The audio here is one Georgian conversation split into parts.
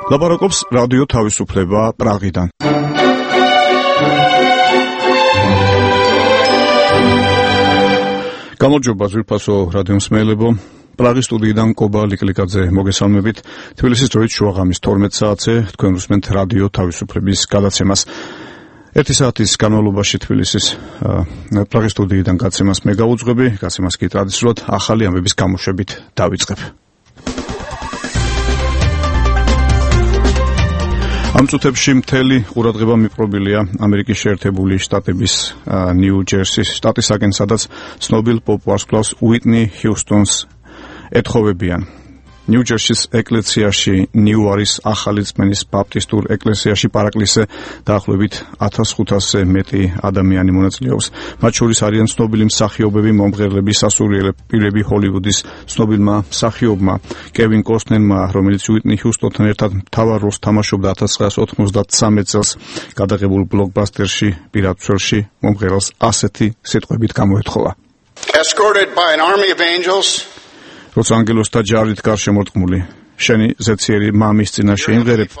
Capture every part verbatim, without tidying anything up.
ლაპარაკობს რადიო თავისუფლება პრაღიდან. გამარჯობა ძვირფასო რადიო მსმენელებო. პრაღის სტუდიიდან კობა ლიკლიკაძე მოგესალმებით. თბილისის დროით შუაღამის თორმეტ საათზე თქვენ უსმენთ რადიო თავისუფლების გადაცემას. ერთი საათის განმავლობაში თბილისის პრაღის სტუდიიდან გაცემას მე გავუძღვები, გაცემას კი ტრადიციულად ახალი ამბების გამოშვებით დავიწყებ. ამ წუთებში მთელი ყურადღება მიპყრობილია ამერიკის შეერთებული შტატების ნიუ-ჯერსის შტატისაკენ, სადაც ცნობილ პოპ ვარსკვლავს უიტნი ჰიუსტონს ეთხოვებიან. ნიუ-ჯერსის ეკლესიაში, ნიუარის ახალი წმენის ბაპტისტურ ეკლესიაში პარაკლისზე დაახლოებით ათას ხუთასზე მეტი ადამიანი მონაწილეობს. მათ შორის არიან ცნობილი მსახიობები, მომღერლები, სასულიერო პირები ჰოლივუდის ცნობილმა მსახიობმა კევინ კოსტნერმა, რომელიც უიტნი ჰიუსტონთან ერთად მთავარ როლს თამაშობდა ათას ცხრაასა ოთხმოცდათსამი წელს გადაღებულ ბლოკბასტერში პირად ცველში მომღერალს ასეთი სიტყვებით გამოეთხოვა. Escorted by an army of angels, როცა ანგელოზთა ჯარით გარშემორტყმული, შენი ზეციერი მამის წინაშე იმღერებ,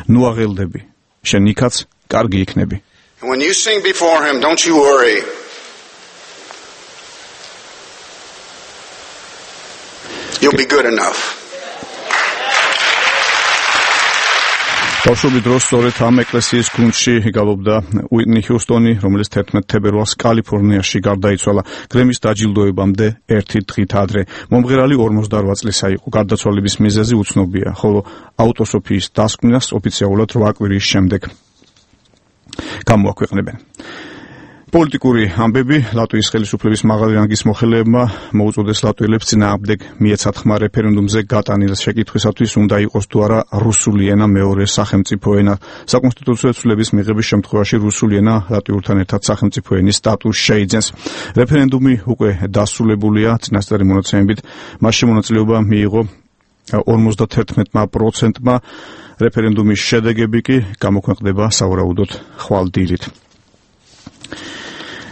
ნუ აღელდები, შენ იქაც კარგი იქნები. and when you sing before him, don't you worry. You'll be good enough. ბავშვობის დროს სწორედ ამ ეკლესიის გუნდში გალობდა უიტნი ჰიუსტონი, რომელიც თერთმეტ თებერვალს კალიფორნიაში გარდაიცვალა გრემის დაჯილდოებამდე ერთი დღით ადრე. მომღერალი ორმოცდარვა წლისა იყო. გარდაცვალების მიზეზი უცნობია, ხოლო აუტოსოფიის დასკვნას ოფიციალურად რვა კვირის შემდეგ გამოაქვეყნებენ. პოლიტიკური ამბები. ლატვიის ხელისუფლების მაღალი რანგის მოხელეებმა მოუწოდეს ლატვიელებს წინააღმდეგ მიეცათხმა რეფერენდუმზე გატანილ შეკითხვისათვის უნდა იყოს თუ არა რუსული ენა მეორე სახელმწიფო ენა. საკონსტიტუციო ცვლილების მიღების შემთხვევაში რუსული ენა ლატვიურთან ერთად სახელმწიფო ენის სტატუსს შეიძენს. რეფერენდუმი უკვე დასრულებულია. წინასწარი მონაცემებით მასში მონაწილეობა მიიღო ორმოცდათერთმეტ პროცენტმა. რეფერენდუმის შედეგები კი გამოქვეყნდება სავარაუდოდ ხვალ დილით.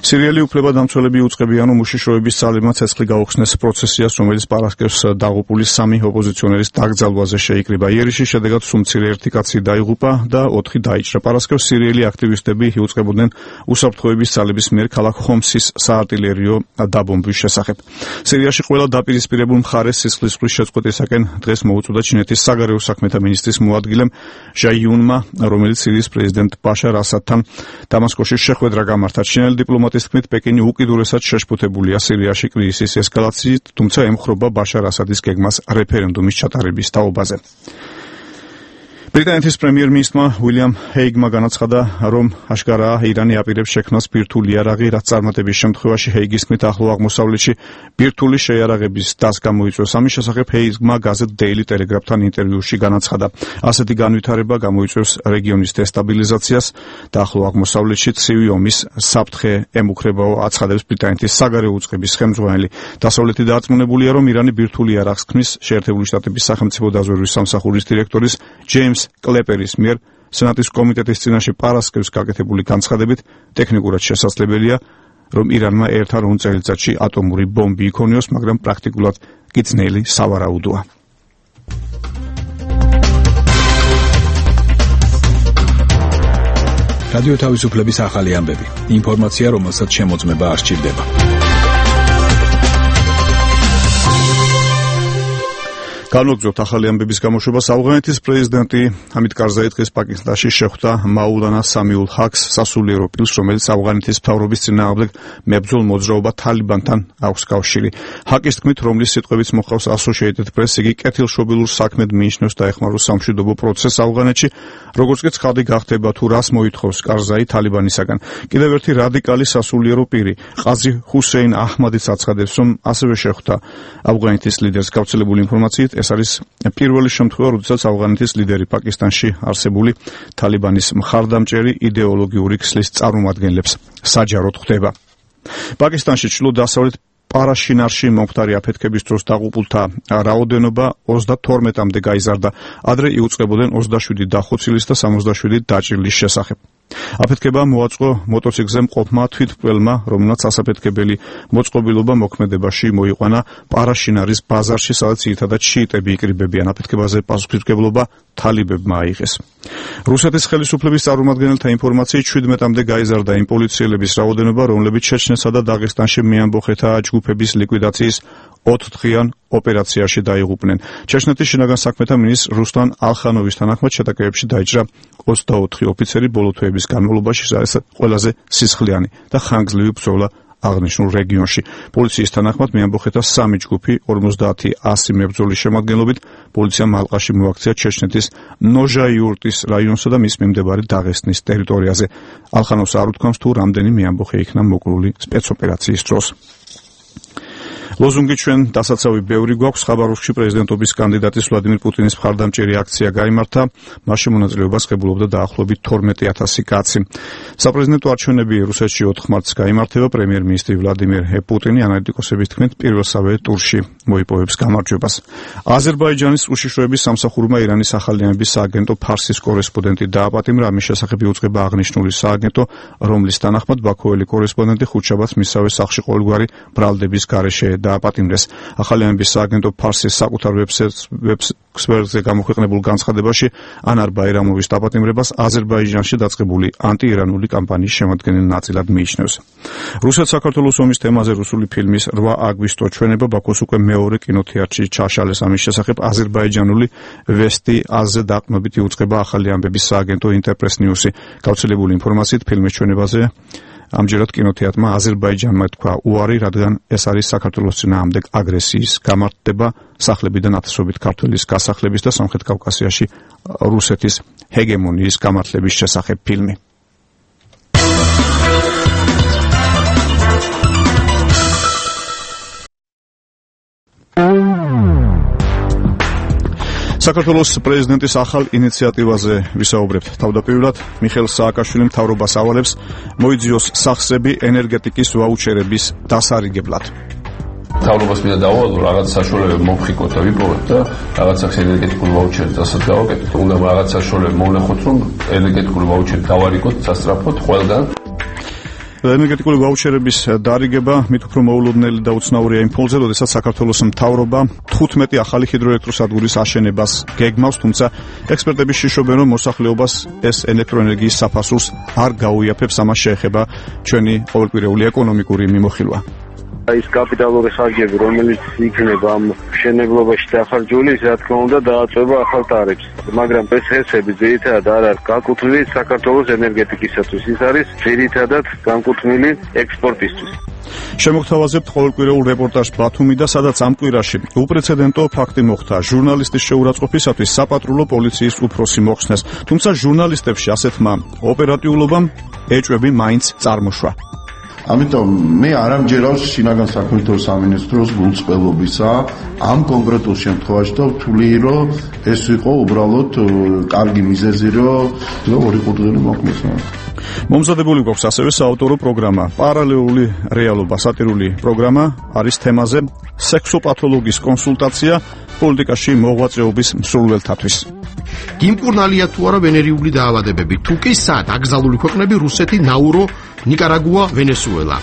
სირიელი უფლებადამცველები უწყებიან, რომ უშიშროების ძალებმა ცეცხლი გაუხსნეს პროცესიას, რომელიც პარასკევს დაღუპული სამი ოპოზიციონერის დაკრძალვაზე შეიკრიბა. იერიშის შედეგად სულ მცირე ერთი კაცი დაიღუპა და ოთხი დაიჭრა. პარასკევს სირიელი აქტივისტები იუწყებოდნენ უსაფრთხოების ძალების მიერ ქალაქ ხომსის საარტილერიო დაბომბვის შესახებ. სირიაში ყველა დაპირისპირებულ მხარეს სისხლისღვრის შეწყვეტისაკენ დღეს მოუწოდა ჩინეთის საგარეო საქმეთა მინისტრის მოადგილემ ჟაიუნმა, რომელიც სირიის პრეზიდენტ ბაშარ ასადთან დამასკოში შეხვედრა გამართა. ჩინელი დიპლომატი ის თქმით, პეკინი უკიდურესად შეშფოთებულია სირიაში კრიზისის ესკალაციით, თუმცა ემხრობა ბაშარ ასადის გეგმას რეფერენდუმის ჩატარების თაობაზე. ბრიტანეთის პრემიერ-მინისტრმა უილიამ ჰეიგმა განაცხადა, რომ აშკარაა ირანი აპირებს შექმნას ბირთვული იარაღი, რაც წარმატების შემთხვევაში ჰეიგის თქმით ახლო აღმოსავლეთში ბირთვული შეიარაღების დას გამოიწვევს. ამის შესახებ ჰეიგმა გაზეთ Daily Telegraph-თან ინტერვიუში განაცხადა. ასეთი განვითარება გამოიწვევს რეგიონის დესტაბილიზაციას და ახლო აღმოსავლეთში ცივი ომის საფრთხე ემუქრებაო, აცხადებს ბრიტანეთის საგარეო უწყების ხელმძღვანელი. დასავლეთი დარწმუნებულია, რომ ირანი ბირთვული იარაღს ქმნის. შეერთებული შტატების სახელმწიფო დაზვერვის სამსახურის დირექტორის ჯეიმს კლეპერის მიერ სენატის კომიტეტის წინაშე პარასკევს გაკეთებული განცხადებით ტექნიკურად შესაძლებელია, რომ ირანმა ერთ ან ორ წელიწადში ატომური ბომბი იქონიოს, მაგრამ პრაქტიკულად კი ძნელი სავარაუდოა. რადიო თავისუფლების ახალი ამბები. ინფორმაცია, რომელსაც შემოწმება არ სჭირდება. განვაგრძობთ ახალი ამბების გამოშვებას. ავღანეთის პრეზიდენტი ჰამიდ კარზაი დღეს პაკისტანში შეხვდა მაულანა სამიულ ჰაკს, სასულიერო პირს, რომელიც ავღანეთის მთავრობის წინააღმდეგ მებრძოლ მოძრაობა თალიბანთან აქვს კავშირი. ჰაკის თქმით, რომლის სიტყვებიც მოხავს Associated Press, იგი კეთილშობილურ საქმედ მიიჩნევს დაეხმაროს სამშვიდობო პროცესს ავღანეთში, როგორც კი ცხადი გახდება თუ რას მოითხოვს კარზაი თალიბანისაგან. კიდევ ერთი რადიკალი სასულიერო პირი, ყაზი ჰუსეინ აჰმადიც აცხადებს, რომ ასევე შეხვდა ავღანეთის ლიდერს. გავრცელებული ინფორმაციით ეს არის პირველი შემთხვევა, როდესაც ავღანეთის ლიდერი პაკისტანში არსებული თალიბანის მხარდამჭერი იდეოლოგიური ქსლის წარმომადგენლებს საჯაროდ ხვდება. პაკისტანში ჩრდილო-დასავლეთ პარაშინარში მომხდარი აფეთქების დროს დაღუპულთა რაოდენობა ოცდათორმეტამდე გაიზარდა. ადრე იუწყებოდნენ ოცდაშვიდი დახოცილის და სამოცდაშვიდი დაჭრილის შესახებ. აფეთქება მოაწყო მოტოციკლზე მყოფმა თვითმკვლელმა, რომელმაც ასაფეთქებელი მოწყობილობა მოქმედებაში მოიყვანა პარაშინარის ბაზარში, სადაც ძირითადად შიიტები იკრიბებიან. აფეთქებაზე პასუხისმგებლობა თალიბებმა აიღეს. რუსეთის ხელისუფლების წარმომადგენელთა ინფორმაციით შვიდმეტამდე გაიზარდა იმ პოლიციელების რაოდენობა, რომლებიც ჩეჩნეთსა და დაღესტანში მეამბოხეთა ჯგუფების ლიკვიდაციის ოთხდღიან ოპერაციაში დაიღუპნენ. ჩეჩნეთის შინაგან საქმეთა მინისტრ რუსლან ალხანოვის თანახმად შეტაკებებში დაიჭრა ოცდაოთხი ოფიცერი ბოლო თვეების განმავლობაში, ეს ყველაზე სისხლიანი და ხანგრძლივი ბრძოლა აღნიშნულ რეგიონში. პოლიციის თანახმად მეამბოხეთა სამი ჯგუფი ორმოცდაათი ასი მებრძოლის შემადგენლობით პოლიციამ ალყაში მოაქცია ჩეჩნეთის ნოჟაიურტის რაიონსა და მის მიმდებარე დაღესტნის ტერიტორიაზე. ალხანოვს არ უთქვამს თუ რამდენი მეამბოხე იქნა მოკლული სპეცოპერაციის დროს. ლოზუნგი ჩვენ დასაცავი ბევრი გვაქვს. ხაბაროვსკში პრეზიდენტობის კანდიდატის ვლადიმირ პუტინის მხარდამჭერი აქცია გაიმართა. მასში მონაწილეობას ღებულობდა დაახლოებით თორმეტი ათასი კაცი. საპრეზიდენტო არჩევნები რუსეთში ოთხ მარტს გაიმართება. პრემიერ-მინისტრი ვლადიმირ პუტინი ანალიტიკოსების თქმით პირველსავე ტურში მოიპოვებს გამარჯვებას. აზერბაიჯანის უშიშროების სამსახურმა ირანის ახალი ამების სააგენტო ფარსის კორესპონდენტი დააპატიმრა. ამის შესახებ იუწყება აღნიშნული სააგენტო, რომლის თანახმად ბაქოელი კორესპონდენტი ხუთშაბათს მისსავე სახლში ყოველგვარი ბრალდების გარეშე დააპატიმრეს. ახალი ამების სააგენტო ფარსის საკუთარ ვებსაიტზე გამოქვეყნებულ განცხადებაში ანარ ბაირამოვის დაპატიმრებას აზერბაიჯანში დაწყებული ანტიირანული კამპანიის შემადგენელ ნაწილად მიიჩნევს. რუსეთ-საქართველოს ომის თემაზე რუსული ფილმის რვა აგვისტო ჩვენება ბაქოს უკვე მეორე კინოთეატრში ჩაშალეს. ამის შესახებ აზერბაიჯანული ვესტი აზზე დაყრდნობით იუწყება ახალი ამბების სააგენტო ინტერპრეს ნიუსი. გავრცელებული ინფორმაციით ფილმის ჩვენებაზე ამჯერად კინოთეატრმა აზერბაიჯანმა თქვა უარი, რადგან ეს არის საქართველოს წინააღმდეგ აგრესიის გამართება, სახლებიდან ათასობით ქართველის გასახლების და სამხრეთ კავკასიაში რუსეთის ჰეგემონიის გამართლების შესახებ ფილმი. საქართველოს პრეზიდენტის ახალ ინიციატივაზე ვისაუბრებთ. თავდაპირველად მიხეილ სააკაშვილიმ მთავრობას ავალებს მოიძიოს სახსრები ენერგეტიკის ვაუჩერების დასარიგებლად. მთავრობას მინდა დაუვალო, რაღაც საშუალებები მომხიკოთ და ვიპოვოთ და რაღაც სახის ენერგეტიკული ვაუჩერი დასად გავაკეთოთ. უნდა რაღაც საშუალებები მოვნახოთ, რომ ენერგეტიკული ვაუჩერი გავარიგოთ სასწრაფოდ ყველგან. ენერგეტიკული ვაუჩერების დარიგება მით უფრო მოულოდნელი და უცნაურია იმ ფონზე, როდესაც საქართველოს მთავრობა თხუთმეტი ახალი ჰიდროელექტროსადგურის აშენებას გეგმავს, თუმცა ექსპერტები შიშობენ, რომ მოსახლეობას ეს ელექტროენერგიის საფასურს არ გაუიაფებს. ამას შეეხება ჩვენი ყოველკვირეული ეკონომიკური მიმოხილვა. ის კაპიტალური ხარჯები, რომელიც იქნება ამ მშენებლობაში დახარჯული, რა თქმა უნდა, დააწვევა ახალ ტარიფს. მაგრამ ეს ხესები ძირითადად არ არის განკუთვნილი საქართველოს ენერგეტიკისათვის, ის არის ძირითადად განკუთვნილი ექსპორტისთვის. შემოგთავაზებთ ყოველკვირეულ რეპორტაჟ ბათუმიდან, სადაც ამ კვირაში უპრეცედენტო ფაქტი მოხდა. ჟურნალისტის შეურაცხყოფისათვის საპატრულო პოლიციის უფროსი მოხსნეს, თუმცა ჟურნალისტებში ასეთმა ოპერატიულობამ ეჭვები მაინც წარმოშვა. ამიტომ მე არ ამჯერავს შინაგან საქმეთა სამინისტროს გულწრფელობისა ამ კონკრეტულ შემთხვევაში და ვთვლი, რომ ეს იყო უბრალოდ კარგი მიზეზი, რომ ორი ყურძენი მოხდეს. მომზადებული გვაქვს ასევე საავტორო პროგრამა. პარალელური რეალობა სატირული პროგრამა არის თემაზე სექსოპათოლოგის კონსულტაცია პოლიტიკაში მოღვაწეობის მსურველთათვის. გიმკურნალია თუ არა ვენერიული დაავადებები, თუ კი სად აკრძალული ქვეყნები რუსეთი, ნაურო, ნიკარაგუა, ვენესუელა.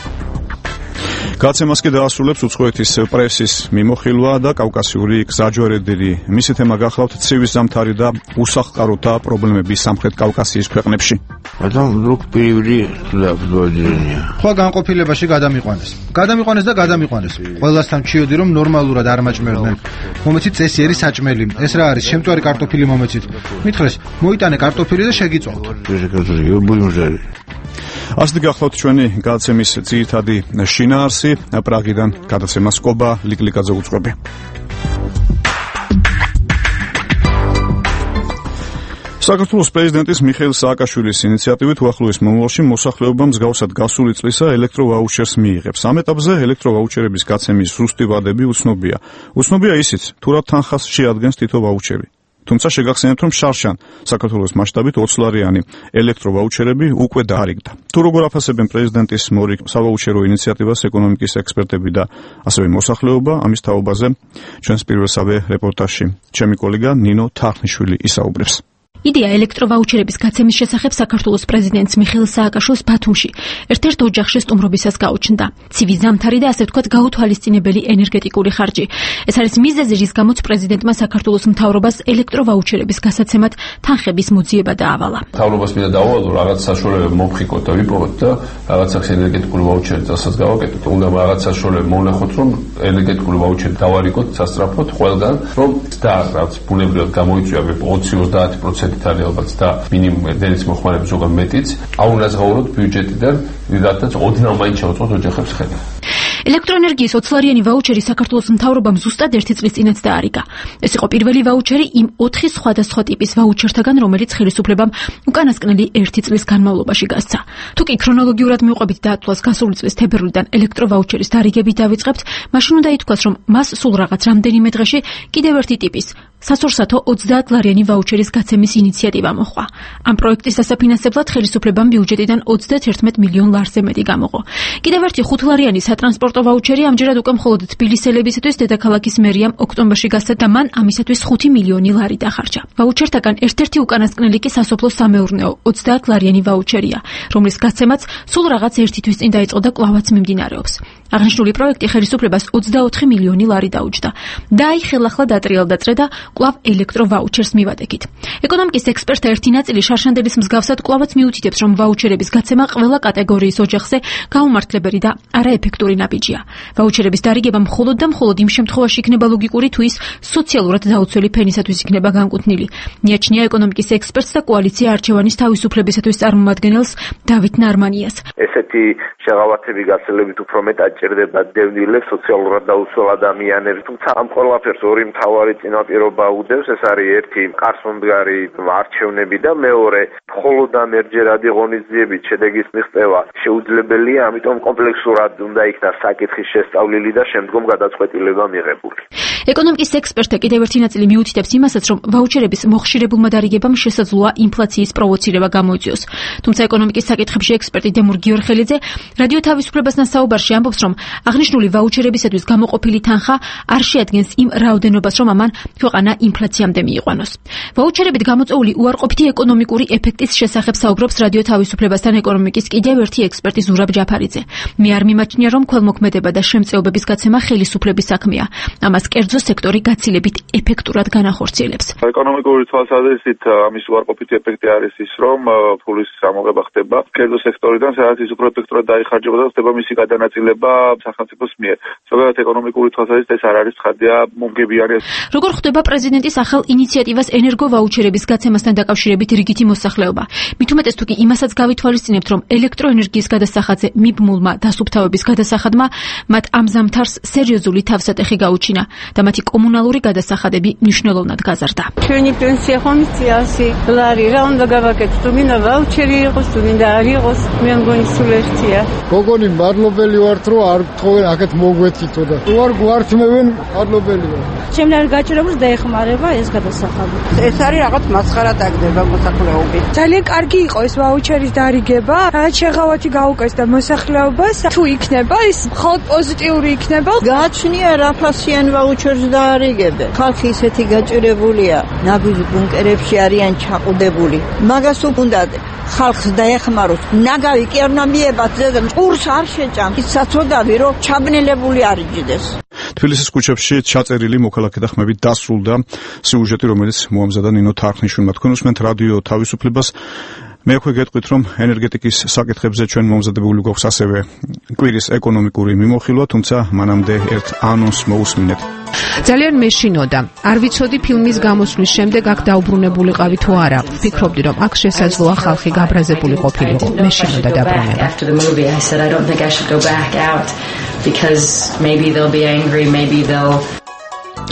გაცემას კი დაასრულებს უცხოეთის პრესის მიმოხილვა და კავკასიური გზაჯვარედინი. მისი თემა გახლავთ ცივი ზამთარი და უსახლკაროთა პრობლემები სამხრეთ კავკასიის ქვეყნებში. Адам вдруг перевели туда, в Владимир. Ხო განყოფილებაში გადამიყვანეს. Გადამიყვანეს და გადამიყვანეს. ყველასთან ჩიოდი რომ ნორმალურად არ მაჭმერდნენ. მომეცით წესი არის საჭმელი. ეს რა არის? შემწვარი კარტოფილი მომეცით. მითხრეს, მოიტანე კარტოფილი და შეგიწვავთ. ასეთი გახლავთ ჩვენი გადაცემის ძირითადი შინაარსი. პრაღიდან გადაცემას კობა ლიკლიკაძე უძღვები. საქართველოს პრეზიდენტის მიხეილ სააკაშვილის ინიციატივით უახლოეს მომავალში მოსახლეობა მსგავსად გასული წლისა ელექტროვაუჩერს მიიღებს. ამ ეტაპზე ელექტროვაუჩერების გაცემის ზუსტი ვადები უცნობია. უცნობია ისიც, თუ რა თანხას შეადგენს თითო ვაუჩერი. თუმცა შეგახსენებთ, რომ შარშან საქართველოს მასშტაბით ოცლარიანი ელექტროვაუჩერები უკვე დაარიგდა. თუ როგორ აფასებენ პრეზიდენტის მორიგ სავაუჩერო ინიციატივას ეკონომიკის ექსპერტები და ასევე მოსახლეობა, ამის თაობაზე ჩვენს პირველსავე რეპორტაჟში ჩემი კოლეგა ნინო თარხნიშვილი ისაუბრებს. იდეა ელექტროვაუჩერების გაცემის შესახებ საქართველოს პრეზიდენტს მიხეილ სააკაშვილს ბათუმში ერთ-ერთ ოჯახში სტუმრობისას გაუჩნდა. ცივი ზამთარი და ასე ვთქვათ გაუთვალისწინებელი ენერგეტიკული ხარჯი. ეს არის მიზეზი, რის გამოც პრეზიდენტმა საქართველოს მთავრობას ელექტროვაუჩერების გასაცემად თანხების მოძიება დაავალა. მთავრობას მინდა დაუვალო რაღაც საშუალება მომხიკოთ და ვიპოვოთ და რაღაცას ენერგეტიკული ვაუჩერი წასაც გავაკეთოთ. უნდა რაღაც საშუალება მოვნახოთ, რომ ენერგეტიკული ვაუჩერი დავარიგოთ სასწრაფოდ ყველგან, რომ და რაც ბუნებრივად გამოიწვია ოცი ოცდაათი პროცენტი არის ალბათ და მინიმუმ დენის მოხმარების ზოგადად მეტიც. აუნაზღაუროთ ბიუჯეტიდან, რადგან ოდნავ მაინც შეუწყოთ ოჯახებს ხედა. ელექტროენერგიის ოცლარიანი ვაუჩერი საქართველოს მთავრობამ ზუსტად ერთი წლის წინაც დაარიგა. ეს იყო პირველი ვაუჩერი იმ ოთხი სხვადასხვა ტიპის ვაუჩერთაგან, რომელიც ხელისუფლებამ უკანასკნელი ერთი წლის განმავლობაში გასცა. თუკი ქრონოლოგიურად მივყვებით დათვლას გასული წლის თებერვლიდან ელექტროვაუჩერის დარიგებით დავიწყებთ, მაშინ უნდა ითქვას, რომ მას სულ რაღაც რამდენიმე დღეში კიდევ ერთი ტიპის სასურსათო ოცდაათლარიანი ვაუჩერის გაცემის ინიციატივა მოჰყვა. ამ პროექტის დასაფინანსებლად ხელისუფლებამ ბიუჯეტიდან ოცდაათერთმეტ მილიონ ლარზე მეტი გამოყო. კიდევ ერთი ხუთლარიანი სატრანსპორტო ვაუჩერი ამჯერად უკვე მხოლოდ თბილისელებისათვის დედაქალაქის მერიამ ოქტომბერში გასცა და მან ამისათვის ხუთი მილიონი ლარი დახარჯა. ვაუჩერთაგან ერთ-ერთი უკანასკნელი კი სასოფლო სამეურნეო ოცდაათლარიანი ვაუჩერია, რომლის გაცემაც სულ რაღაც ერთი თვის წინ დაიწყო და კვლავაც მიმდინარეობს. აღნიშნული პროექტი ხელისუფლებას ოცდაოთხი მილიონი ლარი დაუჯდა. და აი ხელახლა დატრიალ დაწყე და კვლავ ელექტროვაუჩერს მივადექით. ეკონომიკის ექსპერტთა ერთი ნაწილი შარშანდელის მსგავსად კვლავაც მიუთითებს, რომ ვაუჩერების გაცემა ყველა კატეგორიის ოჯახზე გაუმართლებელი და არაეფექტური ნაბიჯია. ვაუჩერების დარიგება მხოლოდ და მხოლოდ იმ შემთხვევაში იქნება ლოგიკური, თუ ის სოციალურად დაუცველი ფენისათვის იქნება განკუთვნილი. მიაჩნია ეკონომიკის ექსპერტს და კოალიცია არჩევანის თავისუფლებისათვის წარმომადგენელს დავით ნარმანიას. ესეთი შეღავათები გაცილებით უფრო მეტად ჭირდება დევნილებს, სოციალურად დაუცველ ადამიანებს, თუმცა ამ ყველაფერს ორი მთავარი წინაპირობა უდევს. ეს არის ერთი კარსომდგარი არჩევნები და მეორე მხოლოდ ამ ერთჯერადი ღონისძიებით შედეგის მიღწევა შეუძლებელია, ამიტომ კომპლექსურად უნდა იქნას საკითხის შესწავლილი და შემდგომ გადაწყვეტილება მიღებული. ეკონომიკის ექსპერტთა კიდევ ერთი ნაწილი მიუთითებს იმასაც, რომ ვაუჩერების მოხშირებულმა დარიგებამ შესაძლოა ინფლაციის პროვოცირება გამოიწვიოს. თუმცა ეკონომიკის საკითხებში ექსპერტი დემურ გიორხელიძე რადიო თავისუფლებასთან საუბარში ამბობს, რომ აღნიშნული ვაუჩერებისათვის გამოყოფილი თანხა არ შეადგენს იმ რაოდენობას, რომ ამან ქვეყანა ინფლაციამდე მიიყვანოს. ვაუჩერებით გამოწვეული უარყოფითი ეკონომიკური ეფექტის შესახებ საუბრობს რადიო თავისუფლებასთან ეკონომიკის კიდევ ერთი ექსპერტი ზურაბ ჯაფარიძე. მე არ მიმაჩნია, რომ ქველმოქმედება და შემწეობების გაცემა ხელისუფლების საქმეა. ამას კერძო სექტორი გაცილებით ეფექტურად განახორციელებს. ეკონომიკური თვალსაზრისით ამის უარყოფითი ეფექტი არის ის, რომ ფულის ამოღება ხდება კერძო სექტორიდან, სადაც ის უფრო ეფექტურად დაიხარჯება და ხდება მისი გადანაწილება სახელმწიფოს მიერ. ზოგადად ეკონომიკური თვალსაზრისით ეს არ არის ცხადია მომგებიანი. როგორ ხდება პრეზიდენტის ახალ ინიციატივას ენერგოვაუჩერების გაცემასთან დაკავშირებით რიგითი მოსახლეობა? მით უმეტეს თუ კი იმასაც გავითვალისწინებთ, რომ ელექტროენერგიის გადასახადზე მიბმულმა დასუფთავების გადასახადმა მათ ამ ზამთარს სერიოზული თავსატეხი გაუჩინა და მათი კომუნალური გადასახადები მნიშვნელოვნად გაზარდა. ჩვენი პენსია ხონიცია ასი ლარი, რა უნდა გავაკეთოთ? თუ მინდა ვაუჩერი იყოს, თუ მინდა არ იყოს, მე მგონი სულ ერთია. გოგონი მადლობელი ვართ, რომ არ გთხოვენ აქეთ მოგვეთითო და თუ არ გვართმევენ, მადლობელი ვარ. ჩემ არ გაჭირებულს დაეხმარება ეს გადასახადი. ეს არის რაღაც მასხარა დაგდება მოსახლეობით. ძალიან კარგი იყო ეს ვაუჩერის დარიგება, რაც შეღავათი გაუკეს და მოსახლეობას თუ იქნება ის მხოლოდ პოზიტიური იქნება. გააჩნია რაფასიან ვაუჩერს დაარიგებენ. ხალხი ისეთი გაჭირებულია, ნაბიჯ ბუნკერებში არიან ჩაყუდებული. მაგას უნდა ხალხს დაეხმაროს. ნაგავი კი არ უნდა მიებათ და ყურს არ შეჭამ. ის საწოდავი რომ ჩაბნელებული არ იჯდეს. თბილისის ქუჩებში ჩაწერილი მოქალაქეთა ხმებით დასრულდა სიუჟეტი, რომელიც მოამზადა ნინო თარხნიშვილმა. თქვენ უსმენთ რადიო თავისუფლებას. მე უკვე გეტყვით, რომ ენერგეტიკის საკითხებზე ჩვენ მომზადებული გვაქვს ასევე კვირის ეკონომიკური მიმოხილვა, თუმცა მანამდე ერთ ანონსს მოусმინეთ. ძალიან მეშინოდა. არ ვიცოდი ფილმის გამოსვლის შემდეგ აქ დაუბრუნებულიყავი თუ არა. ვფიქრობდი, რომ აქ შესაძლოა ხალხი გაბრაზებული ყოფილიყო. მეშინოდა დაბრუნება.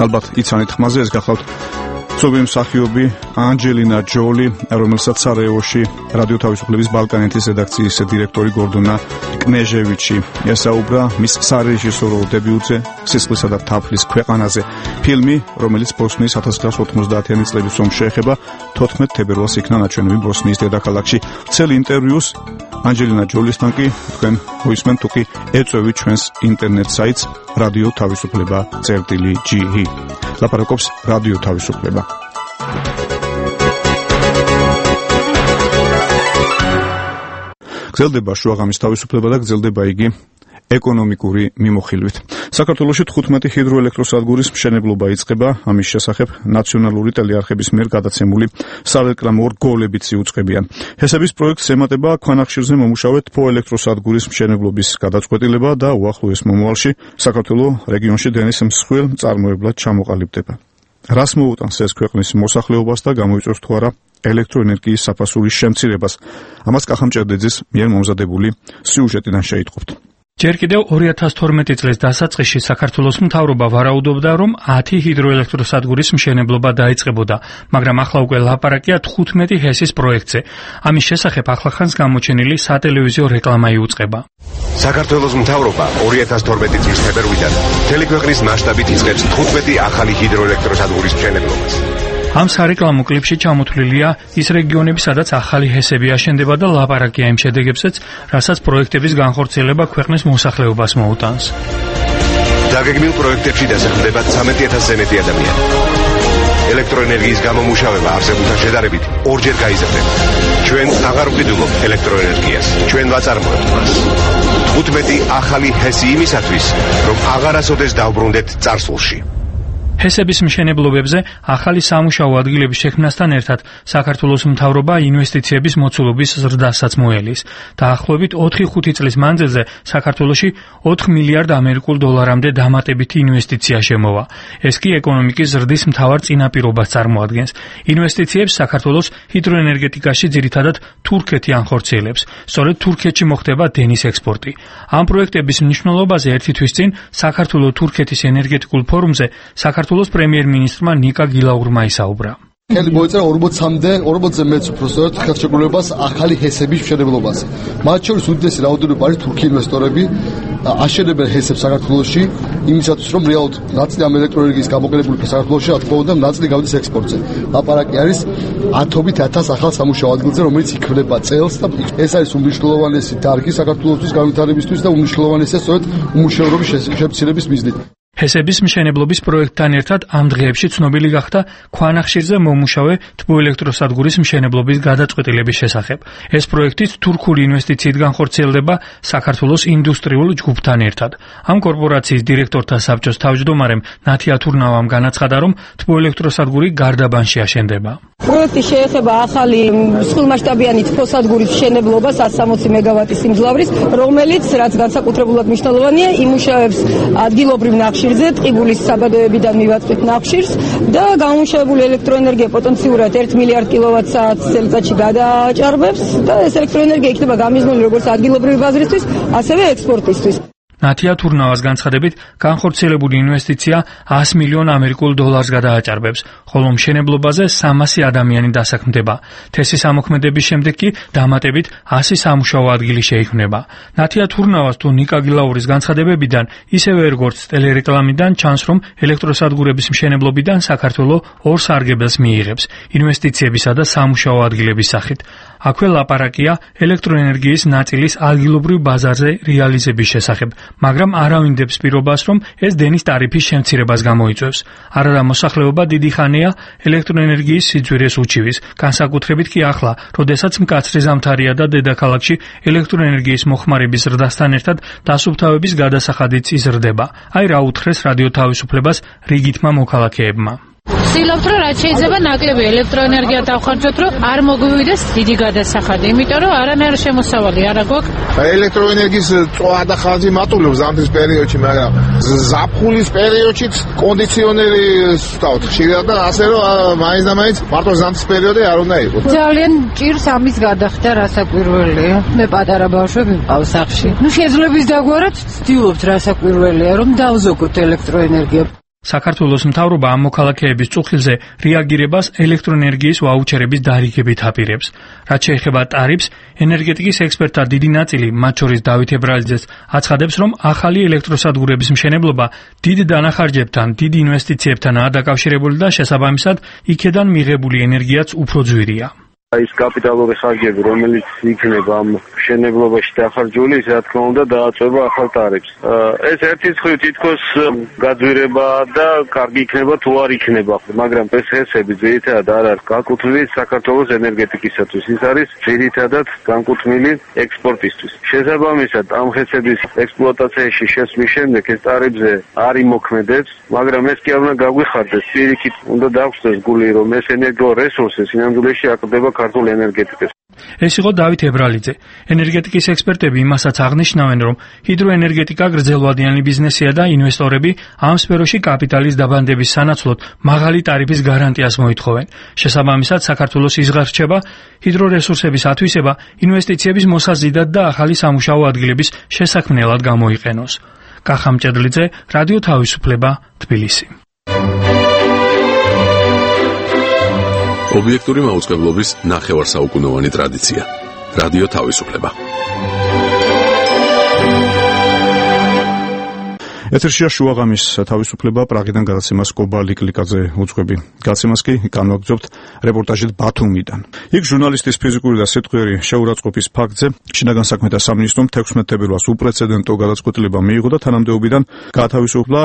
ალბათ იცანით ხმაზე, ეს გახლავთ ცნობილი მსახიობი ანჯელინა ჯოლი, რომელსაც სარაევოში რადიო თავისუფლების ბალკანეთის რედაქციის დირექტორი გორდონა კნეჟევიჩი ესაუბრა მის სარეჟისორო დებიუტზე სისხლისა და თაფლის ქვეყანაზე. ფილმი, რომელიც ბოსნიის ათას ცხრაასი ოთხმოცდაათიანი წლების ომს შეეხება, თოთხმეტ თებერვალს იქნა ნაჩვენები ბოსნიის დედაქალაქში. ცელ ინტერვიუს ანჯელინა ჯოლისთან კი თქვენ მოისმენთ, თუ კი ეწვევით ჩვენს ინტერნეტ საიტს რადიო თავისუფლება წერტილი ჯი ი. ლაპარაკობს რადიო თავისუფლება. გრძელდება შუაღამის თავისუფლება და გრძელდება იგი ეკონომიკური მიმოხილვით. საქართველოში თხუთმეტი ჰიდროელექტროსადგურის მშენებლობა იწყება, ამის შესახებ ნაციონალური ტელეარხების მიერ გადაცემული სარეკლამო რგოლებიც იუწყებიან. ჰესების პროექტს ემატება ქვანახშირზე მომუშავე თბოელექტროსადგურის მშენებლობის გადაწყვეტილება და უახლოეს მომავალში საქართველოს რეგიონში დენის მსხვილ მწარმოებლად ჩამოყალიბდება. რას მოუტანს ეს ქვეყნის მოსახლეობას და გამოიწვევს თუ არა ელექტროენერგიის საფასურის შემცირებას? ამას კახამჭერდეძის მიერ მომზადებული სიუჟეტიდან შეიტყობთ. ჯერ კიდევ ორი ათას თორმეტი წლის დასაწყისში საქართველოს მთავრობა ვარაუდობდა, რომ ათი ჰიდროელექტროსადგურის მშენებლობა დაიწყებოდა, მაგრამ ახლა უკვე ლაპარაკია თხუთმეტი ჰესის პროექტზე. ამის შესახებ ახლახანს გამოჩენილი სატელევიზიო რეკლამა იუწყება. საქართველოს მთავრობა ორი ათას თორმეტი წლის თებერვლიდან მთელი ქვეყნის მასშტაბით იწყებს თხუთმეტი ახალი ჰიდროელექტროსადგურის მშენებლობას. ამ სარეკლამო კლიპში ჩამოთვლილია ის რეგიონები, სადაც ახალი ჰესები აშენდება და ლაპარაკია იმ შედეგებზეც, რასაც პროექტების განხორციელება ქვეყნის მოსახლეობას მოუტანს. დაგეგმილ პროექტებში დასახლდება ცამეტი ათასზე მეტი ადამიანი. ელექტროენერგიის გამომუშავება არსებულთან შედარებით ორჯერ გაიზრდება. ჩვენ აღარ ვყიდულობთ ელექტროენერგიას, ჩვენ ვაწარმოებთ მას. თხუთმეტი ახალი ჰესი იმისათვის, რომ აღარასოდეს დავბრუნდეთ წარსულში. ჰესების მშენებლობებზე ახალი სამუშაო ადგილების შექმნასთან ერთად საქართველოს მთავრობა ინვესტიციების მოცულობის ზრდასაც მოელის. დაახლოებით ოთხი ხუთი წლის მანძილზე საქართველოში ოთხ მილიარდ ამერიკულ დოლარამდე დამატებითი ინვესტიცია შემოვა. ეს კი ეკონომიკის ზრდის მთავარ წინაპირობას წარმოადგენს. ინვესტიციებს საქართველოს ჰიდროენერგეტიკაში ძირითადად თურქეთი ანხორციელებს. სწორედ თურქეთში მოხდება დენის ექსპორტი. ამ პროექტების მნიშვნელობაზე ერთი თვის წინ საქართველოს-თურქეთის ენერგეტიკულ ფორუმზე საქართველოს საქართველოს პრემიერ-მინისტრმა ნიკა გილაურმა ისაუბრა. ხელი მოეწერა ორმოცამდე, ორმოცზე მეც უფრო სწორედ ხელშეკრულებას ახალი ჰესების მშენებლობაზე. მათ შორის უდიდესი რაოდენობა არის თურქი ინვესტორები, აშენებენ ჰესებს საქართველოში, იმისათვის რომ რეალურად ნაწილი ამ ელექტროენერგიის გამოყენებული საქართველოში, რა თქმა უნდა, ნაწილი გავდის ექსპორტზე. ლაპარაკი არის ათობით ათას ახალ სამუშაო ადგილზე, რომელიც იქმნება წელს და ეს არის უმნიშვნელოვანესი დარგი საქართველოსთვის განვითარებისთვის და უმნიშვნელოვანესია სწორედ უმუშევრობის შემცირების მიზნით. ჰესების მშენებლობის პროექტთან ერთად ამ დღეებში ცნობილი გახდა ქვანახშირზე მომუშავე თბოელექტროსადგურის მშენებლობის გადაწყვეტილების შესახებ. ეს პროექტიც თურქული ინვესტიციით განხორციელდება საქართველოს ინდუსტრიულ ჯგუფთან ერთად. ამ კორპორაციის დირექტორთა საბჭოს თავმჯდომარემ ნათია თურნავამ განაცხადა, რომ თბოელექტროსადგური გარდაბანში აშენდება. პროექტი შეეხება ახალი მსხვილმასშტაბიანი თბოსადგურის მშენებლობას ათს სამოცი მეგავატის სიმძლავრის, რომელიც რაც განსაკუთრებულად მნიშვნელოვანია, იმუშავებს ადგილობრივ ნახშირს ტყიბულის საბადოებიდან მივაწვით ნახშირს და გამომუშავებული ელექტროენერგია პოტენციურად ერთ მილიარდ კილოვატ-საათს წელიწადში გადააჭარბებს და ეს ელექტროენერგია იქნება გამიზნული როგორც ადგილობრივი ბაზრისთვის, ასევე ექსპორტისთვის. ნათია თურნავას განცხადებით, განხორციელებული ინვესტიცია ას მილიონ ამერიკულ დოლარს გადააჭარბებს, ხოლო მშენებლობაზე სამასი ადამიანი დასაქმდება. თესის ამოქმედების შემდეგ კი დამატებით ასი სამუშაო ადგილი შეიქმნება. ნათია თურნავას თუ ნიკა გილაურის განცხადებებიდან, ისევე როგორც ტელერეკლამიდან ჩანს, რომ ელექტროსადგურების მშენებლობიდან საქართველოს ორ სარგებელს მიიღებს ინვესტიციებისა და სამუშაო ადგილების სახით. აქვე ლაპარაკია ელექტროენერგიის ნაწილის ადგილობრივ ბაზარზე რეალიზების შესახებ, მაგრამ არავინდებს პირობას, რომ ეს დენის ტარიფის შემცირებას გამოიწვევს. არადა მოსახლეობა დიდი ხანია ელექტროენერგიის სიძვირეს უჩივის, განსაკუთრებით კი ახლა, როდესაც მკაცრი ზამთარია და დედაქალაქში ელექტროენერგიის მოხმარების ზრდასთან ერთად დასუფთავების გადასახადიც იზრდება. აი რა უთხრეს რადიო თავისუფლებას რიგითმა მოქალაქეებმა. ვცდილობთ, რომ რაც შეიძლება ნაკლები ელექტროენერგია დავხარჯოთ, რომ არ მოგვივიდეს დიდი გადასახადი, იმიტომ რომ არანაირი შემოსავალი არ აქვს. ელექტროენერგიის წვა და ხარჯი მატულობს ზამთრის პერიოდში, მაგრამ ზაფხულის პერიოდშიც კონდიციონერი ვსვთავთ ხშირად და ასე რომ მაინც და მაინც მარტო ზამთრის პერიოდი არ უნდა იყოს. ძალიან ჭირს ამის გადახდა, რასაკვირველია. მე პატარა ბავშვები მყავს სახლში. ნუ შეძლებს დაგვარად ვცდილობთ, რასაკვირველია, რომ დავზოგოთ ელექტროენერგია. საქართველოს მთავრობა ამ მოქალაქეების წუხილზე რეაგირებას ელექტროენერგიის ვაუჩერების დარიგებით აპირებს. რაც შეეხება ტარიფს, ენერგეტიკის ექსპერტთა დიდი ნაწილი, მათ შორის დავით ებრალიძეც, აცხადებს, რომ ახალი ელექტროსადგურების მშენებლობა დიდ დანახარჯებთან, დიდ ინვესტიციებთანაა დაკავშირებული და შესაბამისად, იქედან მიღებული ენერგიაც უფრო ძვირია. ის კაპიტალური ხარჯები, რომელიც იქნება ამ მშენებლობაში დახარჯული, ის რა თქმა უნდა დააწვევა ახალ ტარიფს. ეს ერთი მხრივ თითქოს გაძვირება და კარგი იქნება თუ არ იქნება, მაგრამ ეს ჰესები ძირითადად არ არის განკუთვნილი საქართველოს ენერგეტიკისათვის. ის არის ძირითადად განკუთვნილი ექსპორტისთვის. შესაბამისად, ამ ჰესების ექსპლუატაციაში შესვლის შემდეგ ეს ტარიფზე არ იმოქმედებს, მაგრამ ეს კი არ უნდა გაგვიხარდეს. პირიქით უნდა დაგვხსნას გული, რომ ეს ენერგორესურსი სინამდვილეში აკლდება ქართულ ენერგეტიკას. ეს იყო დავით ებრალიძე. ენერგეტიკის ექსპერტები იმასაც აღნიშნავენ, რომ ჰიდროენერგეტიკა გრძელვადიანი ბიზნესია და ინვესტორები ამ სფეროში კაპიტალის დაბანდების სანაცვლოდ მაღალი ტარიფის გარანტიას მოითხოვენ. შესაბამისად, საქართველოს იზღარჩება ჰიდრორესურსების ათვისება ინვესტიციების მოსაზიდად და ახალი სამუშაო ადგილების შესაქმნელად გამოიყენოს. კახა მჭედლიძე, რადიო თავისუფლება, თბილისი. ობიექტური მაუწყებლობის ნახევარსაუკუნოვანი ტრადიცია. რადიო თავისუფლება. ეთერშია შუაღამის თავისუფლება პრაღიდან გადაცემას კობა ლიკლიკაძე უძღვები. გადაცემას კი განვაგრძობთ რეპორტაჟით ბათუმიდან. იქ ჟურნალისტის ფიზიკური და სიტყვიერი შეურაცხყოფის ფაქტზე შინაგან საქმეთა სამინისტრომ თექვსმეტ თებერვალს უპრეცედენტო გადაწყვეტილება მიიღო და თანამდებობიდან გაათავისუფლა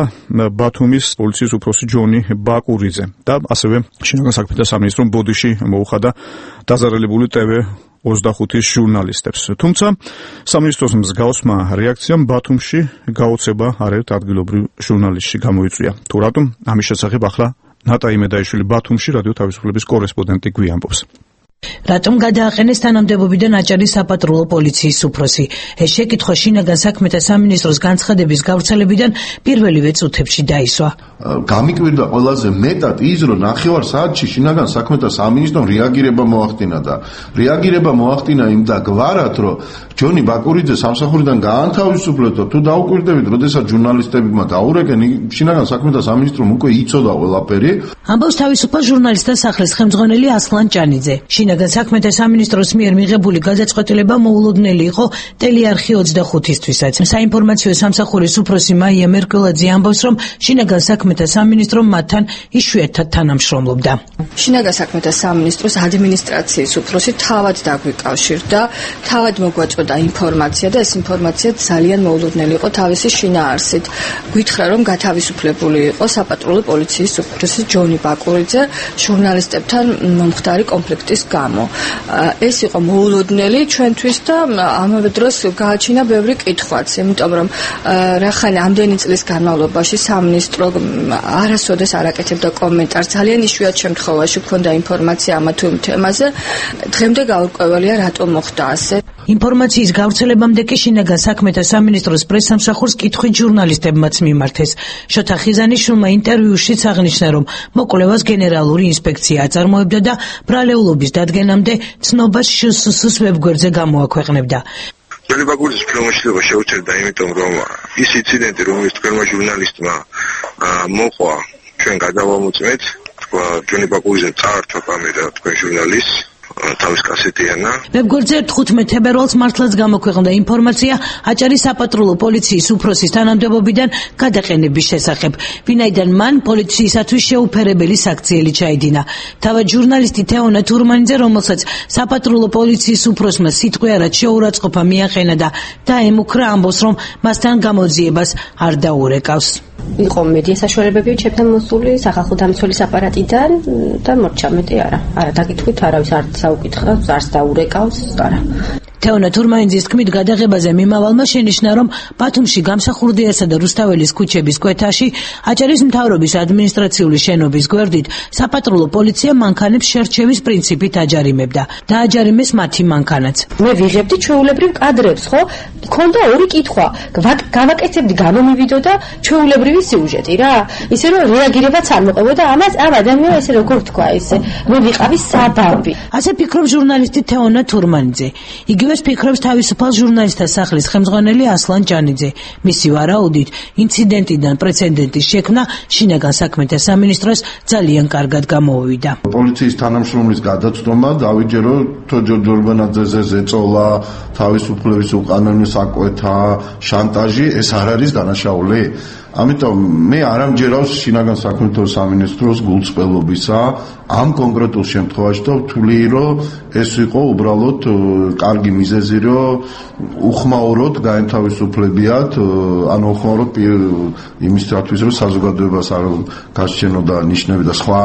ბათუმის პოლიციის უფროსი ჯონი ბაკურიძე და ასევე შინაგან საქმეთა სამინისტრომ ბოდიში მოუხადა დაზარალებული ტევ ოცდახუთის ჟურნალისტებს. თუმცა სამინისტროს მსგავსმა რეაქციამ ბათუმში გაოცება არაერთ ადგილობრივ ჟურნალისტში გამოიწვია. თუ რატომ, ამის შესახებ ახლა ნატა იმედაიშვილი ბათუმში რადიო თავისუფლების კორესპონდენტი გვიამბობს. რატომ გადააყენეს თანამდებობიდან აჭარის საპატრულო პოლიციის უფროსი? ეს შეკითხვა შინაგან საქმეთა სამინისტროს განცხადების გავრცელებიდან პირველივე წუთებში დაისვა. გამიკვირდა ყველაზე მეტად ის, რომ ნახევარ საათში შინაგან საქმეთა სამინისტრომ რეაგირება მოახდინა და რეაგირება მოახდინა იმ და გვარად, რომ ჯონი ბაკურიძე სამსახურიდან გაანთავისუფლეთ და თუ დაუკვირდებით, როდესაც ჟურნალისტებმა დაურეკენ, შინაგან საქმეთა სამინისტრომ უკვე იცოდა ყველაფერი. ამბობს თავისუფალ ჟურნალისტთა სახლის ხელმძღვანელი ასლან ჭანიძე. შინაგან საქმეთა სამინისტროს მიერ მიღებული გადაწყვეტილება მოულოდნელი იყო ტელეარხი ოცდახუთისთვისაც. საინფორმაციო სამსახურის უფროსი მაია მერკულაძე ამბობს, რომ შინაგან საქმეთა სამინისტრო მათთან იშვიათად თანამშრომლობდა. შინაგან საქმეთა სამინისტროს ადმინისტრაციის უფროსი თავად დაგვიკავშირდა, თავად მოგვაწოდა ინფორმაცია და ეს ინფორმაცია ძალიან მოულოდნელი იყო თავისი შინაარსით. გითხრა, რომ გათავისუფლებული იყო საპატრულო პოლიციის უფროსი ჯონი ბაკურიძე ჟურნალისტებთან მომხდარი კონფლიქტის გამო. ეს იყო მოულოდნელი ჩვენთვის და ამავე დროს გააჩინა ბევრი კითხვაც, იმიტომ რომ რახან ამდენი წლის განმავლობაში სამინისტრო არასოდეს არ აკეთებდა კომენტარს, ძალიან იშვიათ შემთხვევაში ჰქონდა ინფორმაცია ამა თუ იმ თემაზე. დღემდე გაურკვეველია რატომ მოხდა ასე. ინფორმაციის გავრცელებამდე კი შინაგან საქმეთა სამინისტროს პრესსამსახურს კითხვით ჟურნალისტებმაც მიმართეს. შოთა ხიზანიშვილმა ინტერვიუშიც აღნიშნა, რომ მოკვლევას გენერალური ინსპექცია აწარმოებდა და ბრალეულობის დადგენამდე ცნობას შსს ვებგვერდზე გამოაქვეყნებდა. ჯონი ბაკურიძის ფილმშენება შეუჩერდა, იმიტომ რომ ის ინციდენტი, რომელიც თქვენმა ჟურნალისტმა მოყვა, ჩვენ გადავამოწმეთ, თქვა ჯონი ბაკურიძე წაართვა კამერა თქვენ ჟურნალისტს თავის კასეტიანა. ვებგვერდზე თხუთმეტ თებერვალს მართლაც გამოქვეყნდა ინფორმაცია აჭარის საპატრულო პოლიციის უფროსის თანამდებობიდან გადაყენების შესახებ, ვინაიდან მან პოლიციისათვის შეუფერებელი საქციელი ჩაიდინა. თავად ჟურნალისტი თეონა თურმანიძე, რომელსაც საპატრულო პოლიციის უფროსმა სიტყვიარად შეურაცხყოფა მიაყენა და დაემუქრა, ამბობს, რომ მასთან გამოძიებას არ დაურეკავს. იყო მედია საშუალებები ჩემთან მოსული სახალხო დამცველის აპარატიდან და მორჩა მეტი არა. არა დაკითხვით არავის არ საუკითხავს, არც დაურეკავს, არა. თეონა თურმანიძის თქმით, გადაღებაზე მიმავალმა შენიშნა, რომ ბათუმში გამსახურდიასა და რუსთაველის ქუჩების კვეთაში აჭარის მთავრობის ადმინისტრაციული შენობის გვერდით საპატრულო პოლიცია მანქანებს შერჩევის პრინციპით აჯარიმებდა. დააჯარიმეს მათი მანქანაც. მე ვიღებდი ჩვეულებრივ კადრებს, ხო? ქონდა ორი კითხვა. გავაკეთებდი გამომივიდოდა ჩვეულებრივი სიუჟეტი რა. ისე რომ რეაგირებაც არ მოყევოდა ამას, ამ ადამიანს ესე როგორ თქვა ესე. მე ვიყავი საბაბი. ასე ფიქრობს ჟურნალისტი თეონა თურმანიძე. იგივე ეს ფიქრობს თავისუფალ ჟურნალისტთა სახლის ხელმძღვანელი ასლან ჭანიძე. მისი ვარაუდით, ინციდენტიდან პრეცედენტის შექმნა შინაგან საქმეთა სამინისტროს ძალიან კარგად გამოვიდა. პოლიციის თანამშრომლის გადაცნობა დავიჯერო თოჯო ჯორბანაძეზე ზეწოლა, თავისუფლების უკანონო საკვეთა, შანტაჟი, ეს არ არის დანაშაული? ამიტომ მე არ ამჯერავს შინაგან საქმეთა სამინისტროს გულწრფელობისა ამ კონკრეტულ შემთხვევაში და ვთვლი რომ ეს იყო უბრალოდ კარგი მიზეზი რომ უხმაუროდ გაენთავისუფლებიათ ანუ უხმაუროდ იმისათვის რომ საზოგადოებას არ გასჩენოდა ნიშნები და სხვა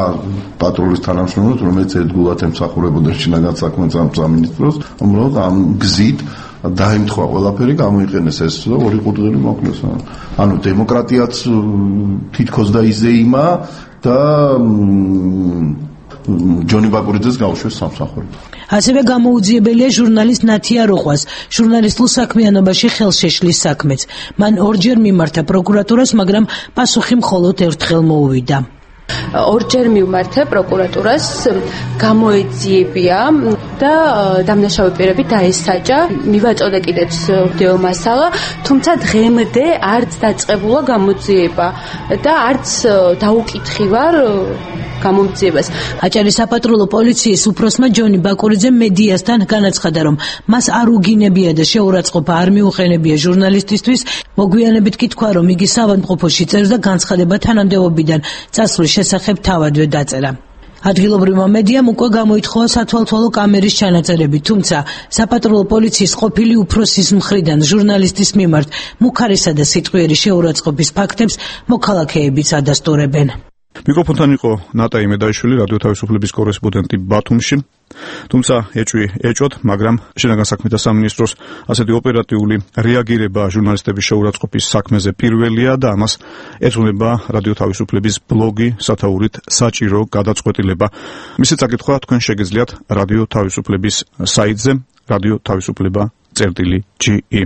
პატრულის თანამშრომლებს რომელიც ერთგულად ემსახურებოდა შინაგან საქმეთა სამინისტროს უბრალოდ ამ გზით დაემთხვა ყველაფერი გამოიყენეს ეს და ორი ყურძენი მოკლეს ანუ დემოკრატიაც თითქოს და იზეიმა და ჯონი ბაკურიძეს გაუშვეს სამსახურით. ასევე გამოუძიებელია ჟურნალისტ ნათია როყვას ჟურნალისტულ საქმიანობაში ხელშეშლის საქმეც. მან ორჯერ მიმართა პროკურატურას, მაგრამ პასუხი მხოლოდ ერთხელ მოუვიდა. ორჯერ მივმართა პროკურატურას, გამოეძიებია და დამნაშავე პირები დაესაჯა. მივაწოდე კიდეც ვიდეო მასალა, თუმცა დღემდე არც დაწყებულა გამოძიება და არც დაუკითხი ვარ გამომძიებას. აჭარის საპატრულო პოლიციის უფროსმა ჯონი ბაკურიძემ მედიასთან განაცხადა, რომ მას არ უგინებია და შეურაცხყოფა არ მიუყენებია ჟურნალისტისთვის. მოგვიანებით კი თქვა, რომ იგი საავადმყოფოში წერს და განცხადება თანამდებობიდან წასვლის შესახებ თავადვე დაწერა. ადგილობრივმა მედიამ უკვე გამოითხოვა სათვალთვალო კამერის ჩანაწერები, თუმცა საპატრულო პოლიციის ყოფილი უფროსის მხრიდან ჟურნალისტის მიმართ მუქარისა და სიტყვიერი შეურაცხყოფის ფაქტებს მოქალაქეებიც ადასტურებენ. მიკროფონთან იყო ნატა იმედაიშვილი, რადიო თავისუფლების კორესპონდენტი ბათუმში. თუმცა ეჭვი ეჭვოდ, მაგრამ შინაგან საქმეთა სამინისტროს ასეთი ოპერატიული რეაგირება ჟურნალისტების შეურაცხყოფის საქმეზე პირველია და ამას ეძღვნება რადიო თავისუფლების ბლოგი სათაურით საჭირო გადაწყვეტილება. მისი წაკითხვა თქვენ შეგიძლიათ რადიო თავისუფლების საიტზე რადიო თავისუფლება წერტილი ჯი ი.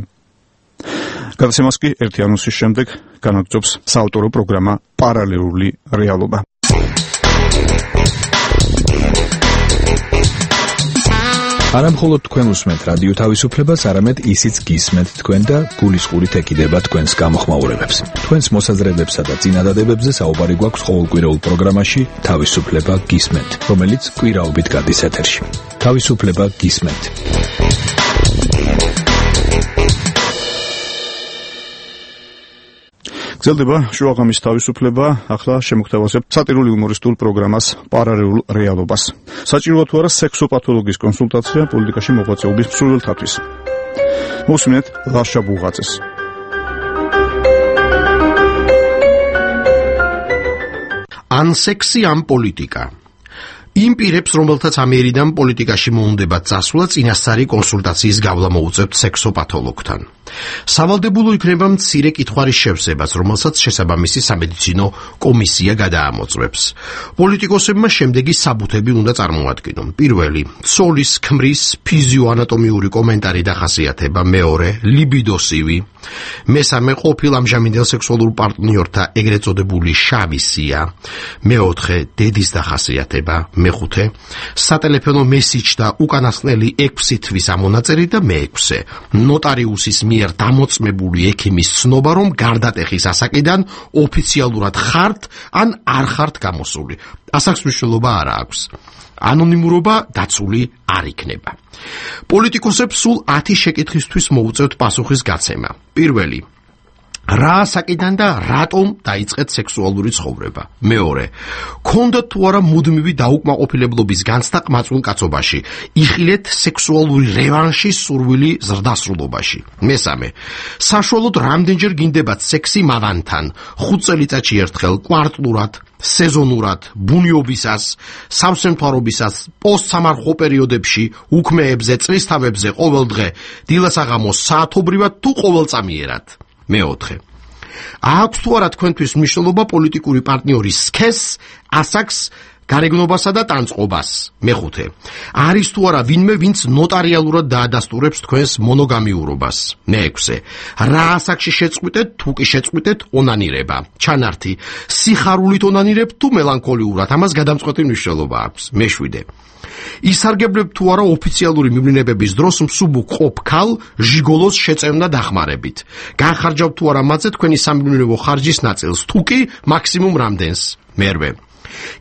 გადაცემას კი ერთი ანონსის შემდეგ განაგრძობს საავტორო პროგრამა პარალელური რეალობა. არა მხოლოდ თქვენ უსმენთ რადიო თავისუფლებას, არამედ ისიც გისმენთ თქვენ და გულისყურით ეკიდება თქვენს გამოხმაურებებს. თქვენს მოსაზრებებსა და წინადადებებზე საუბარი გვაქვს ყოველკვირეულ პროგრამაში თავისუფლება გისმენთ, რომელიც კვირაობით გადის ეთერში. თავისუფლება გისმენთ. გრძელდება შუაღამის თავისუფლება, ახლა შემოგთავაზებ სატირული იუმორისტულ პროგრამას პარალელურ რეალობას. საჭიროა თუ არა სექსოპათოლოგის კონსულტაცია პოლიტიკაში მოღვაწეობის მსურველთათვის. მოსმენთ ლაშა ბუღაძეს. ან სექსი, ან პოლიტიკა. იმ პირებს, რომელთაც ამერიდან პოლიტიკაში მოუნდება წასვლა, წინასწარი კონსულტაციის გავლა მოუწევთ სექსოპათოლოგთან. სავალდებულო იქნება მცირე კითხვარის შევსებას, რომელსაც შესაბამისი სამედიცინო კომისია გადაამოწმებს. პოლიტიკოსებმა შემდეგი საბუთები უნდა წარმოადგინონ. პირველი, ცოლის, ქმრის, ფიზიოანატომიური კომენტარი დახასიათება. მეორე, ლიბიდოსივი. მესამე, ყოფილ ამჟამინდელ სექსუალურ პარტნიორთა ეგრეთ წოდებული შავი სია. მეოთხე, დედის დახასიათება. მეხუთე, სატელეფონო მესიჯი და უკანასკნელი ექვსი თვის ამონაწერი და მეექვსე, ნოტარიუსის მიერ დამოწმებული ექიმის ცნობა, რომ გარდატეხის ასაკიდან ოფიციალურად ხართ ან არ ხართ გამოსული. ასაკს მნიშვნელობა არ აქვს. ანონიმურობა დაცული არ იქნება. პოლიტიკოსებს სულ ათი შეკითხვისთვის მოუწევთ პასუხის გაცემა. პირველი, რა ასაკიდან და რატომ დაიწყეთ სექსუალური ცხოვრება? მეორე, ქონდათ თუ არა მუდმივი დაუკმაყოფილებლობის განცდა ყმაწვილ კაცობაში, იხილეთ სექსუალური რევანშის სურვილი ზრდასრულობაში. მესამე, საშუალოდ რამდენჯერ გინდებათ სექსი მავანთან, ხუთ წელიწადში ერთხელ, კვარტლურად, სეზონურად, ბუნიობისას, სამსემთვარობისას, პოსტსამარხო პერიოდებში, უქმეებზე, წლისთავებზე, ყოველდღე, დილასაღამოს, საათობრივად თუ ყოველწამიერად. მეოთხე, აქვს თუ არა თქვენთვის მნიშვნელობა პოლიტიკური პარტნიორის სქესს, ასაკს, გარეგნობასა და ტანწყობას? მეხუთე, არის თუ არა ვინმე, ვინც ნოტარიალურად დაადასტურებს თქვენს მონოგამიურობას? მეექვსე, რა ასაკში შეწყვიტეთ, თუ კი შეწყვიტეთ ონანირება? ჩანართი, სიხარულით ონანირებთ თუ მელანქოლიურად? ამას გადამწყვეტი მნიშვნელობა აქვს. მეშვიდე, ისარგებლებთ თუ არა ოფიციალური მივლინებების დროს მსუბუქ ყოფ ქალ ჟიგოლოს შეწევნა დახმარებით? განხარჯავთ თუ არა მათზე თქვენი სამივლინებო ხარჯის ნაწილს, თუ კი მაქსიმუმ რამდენს? მერვე,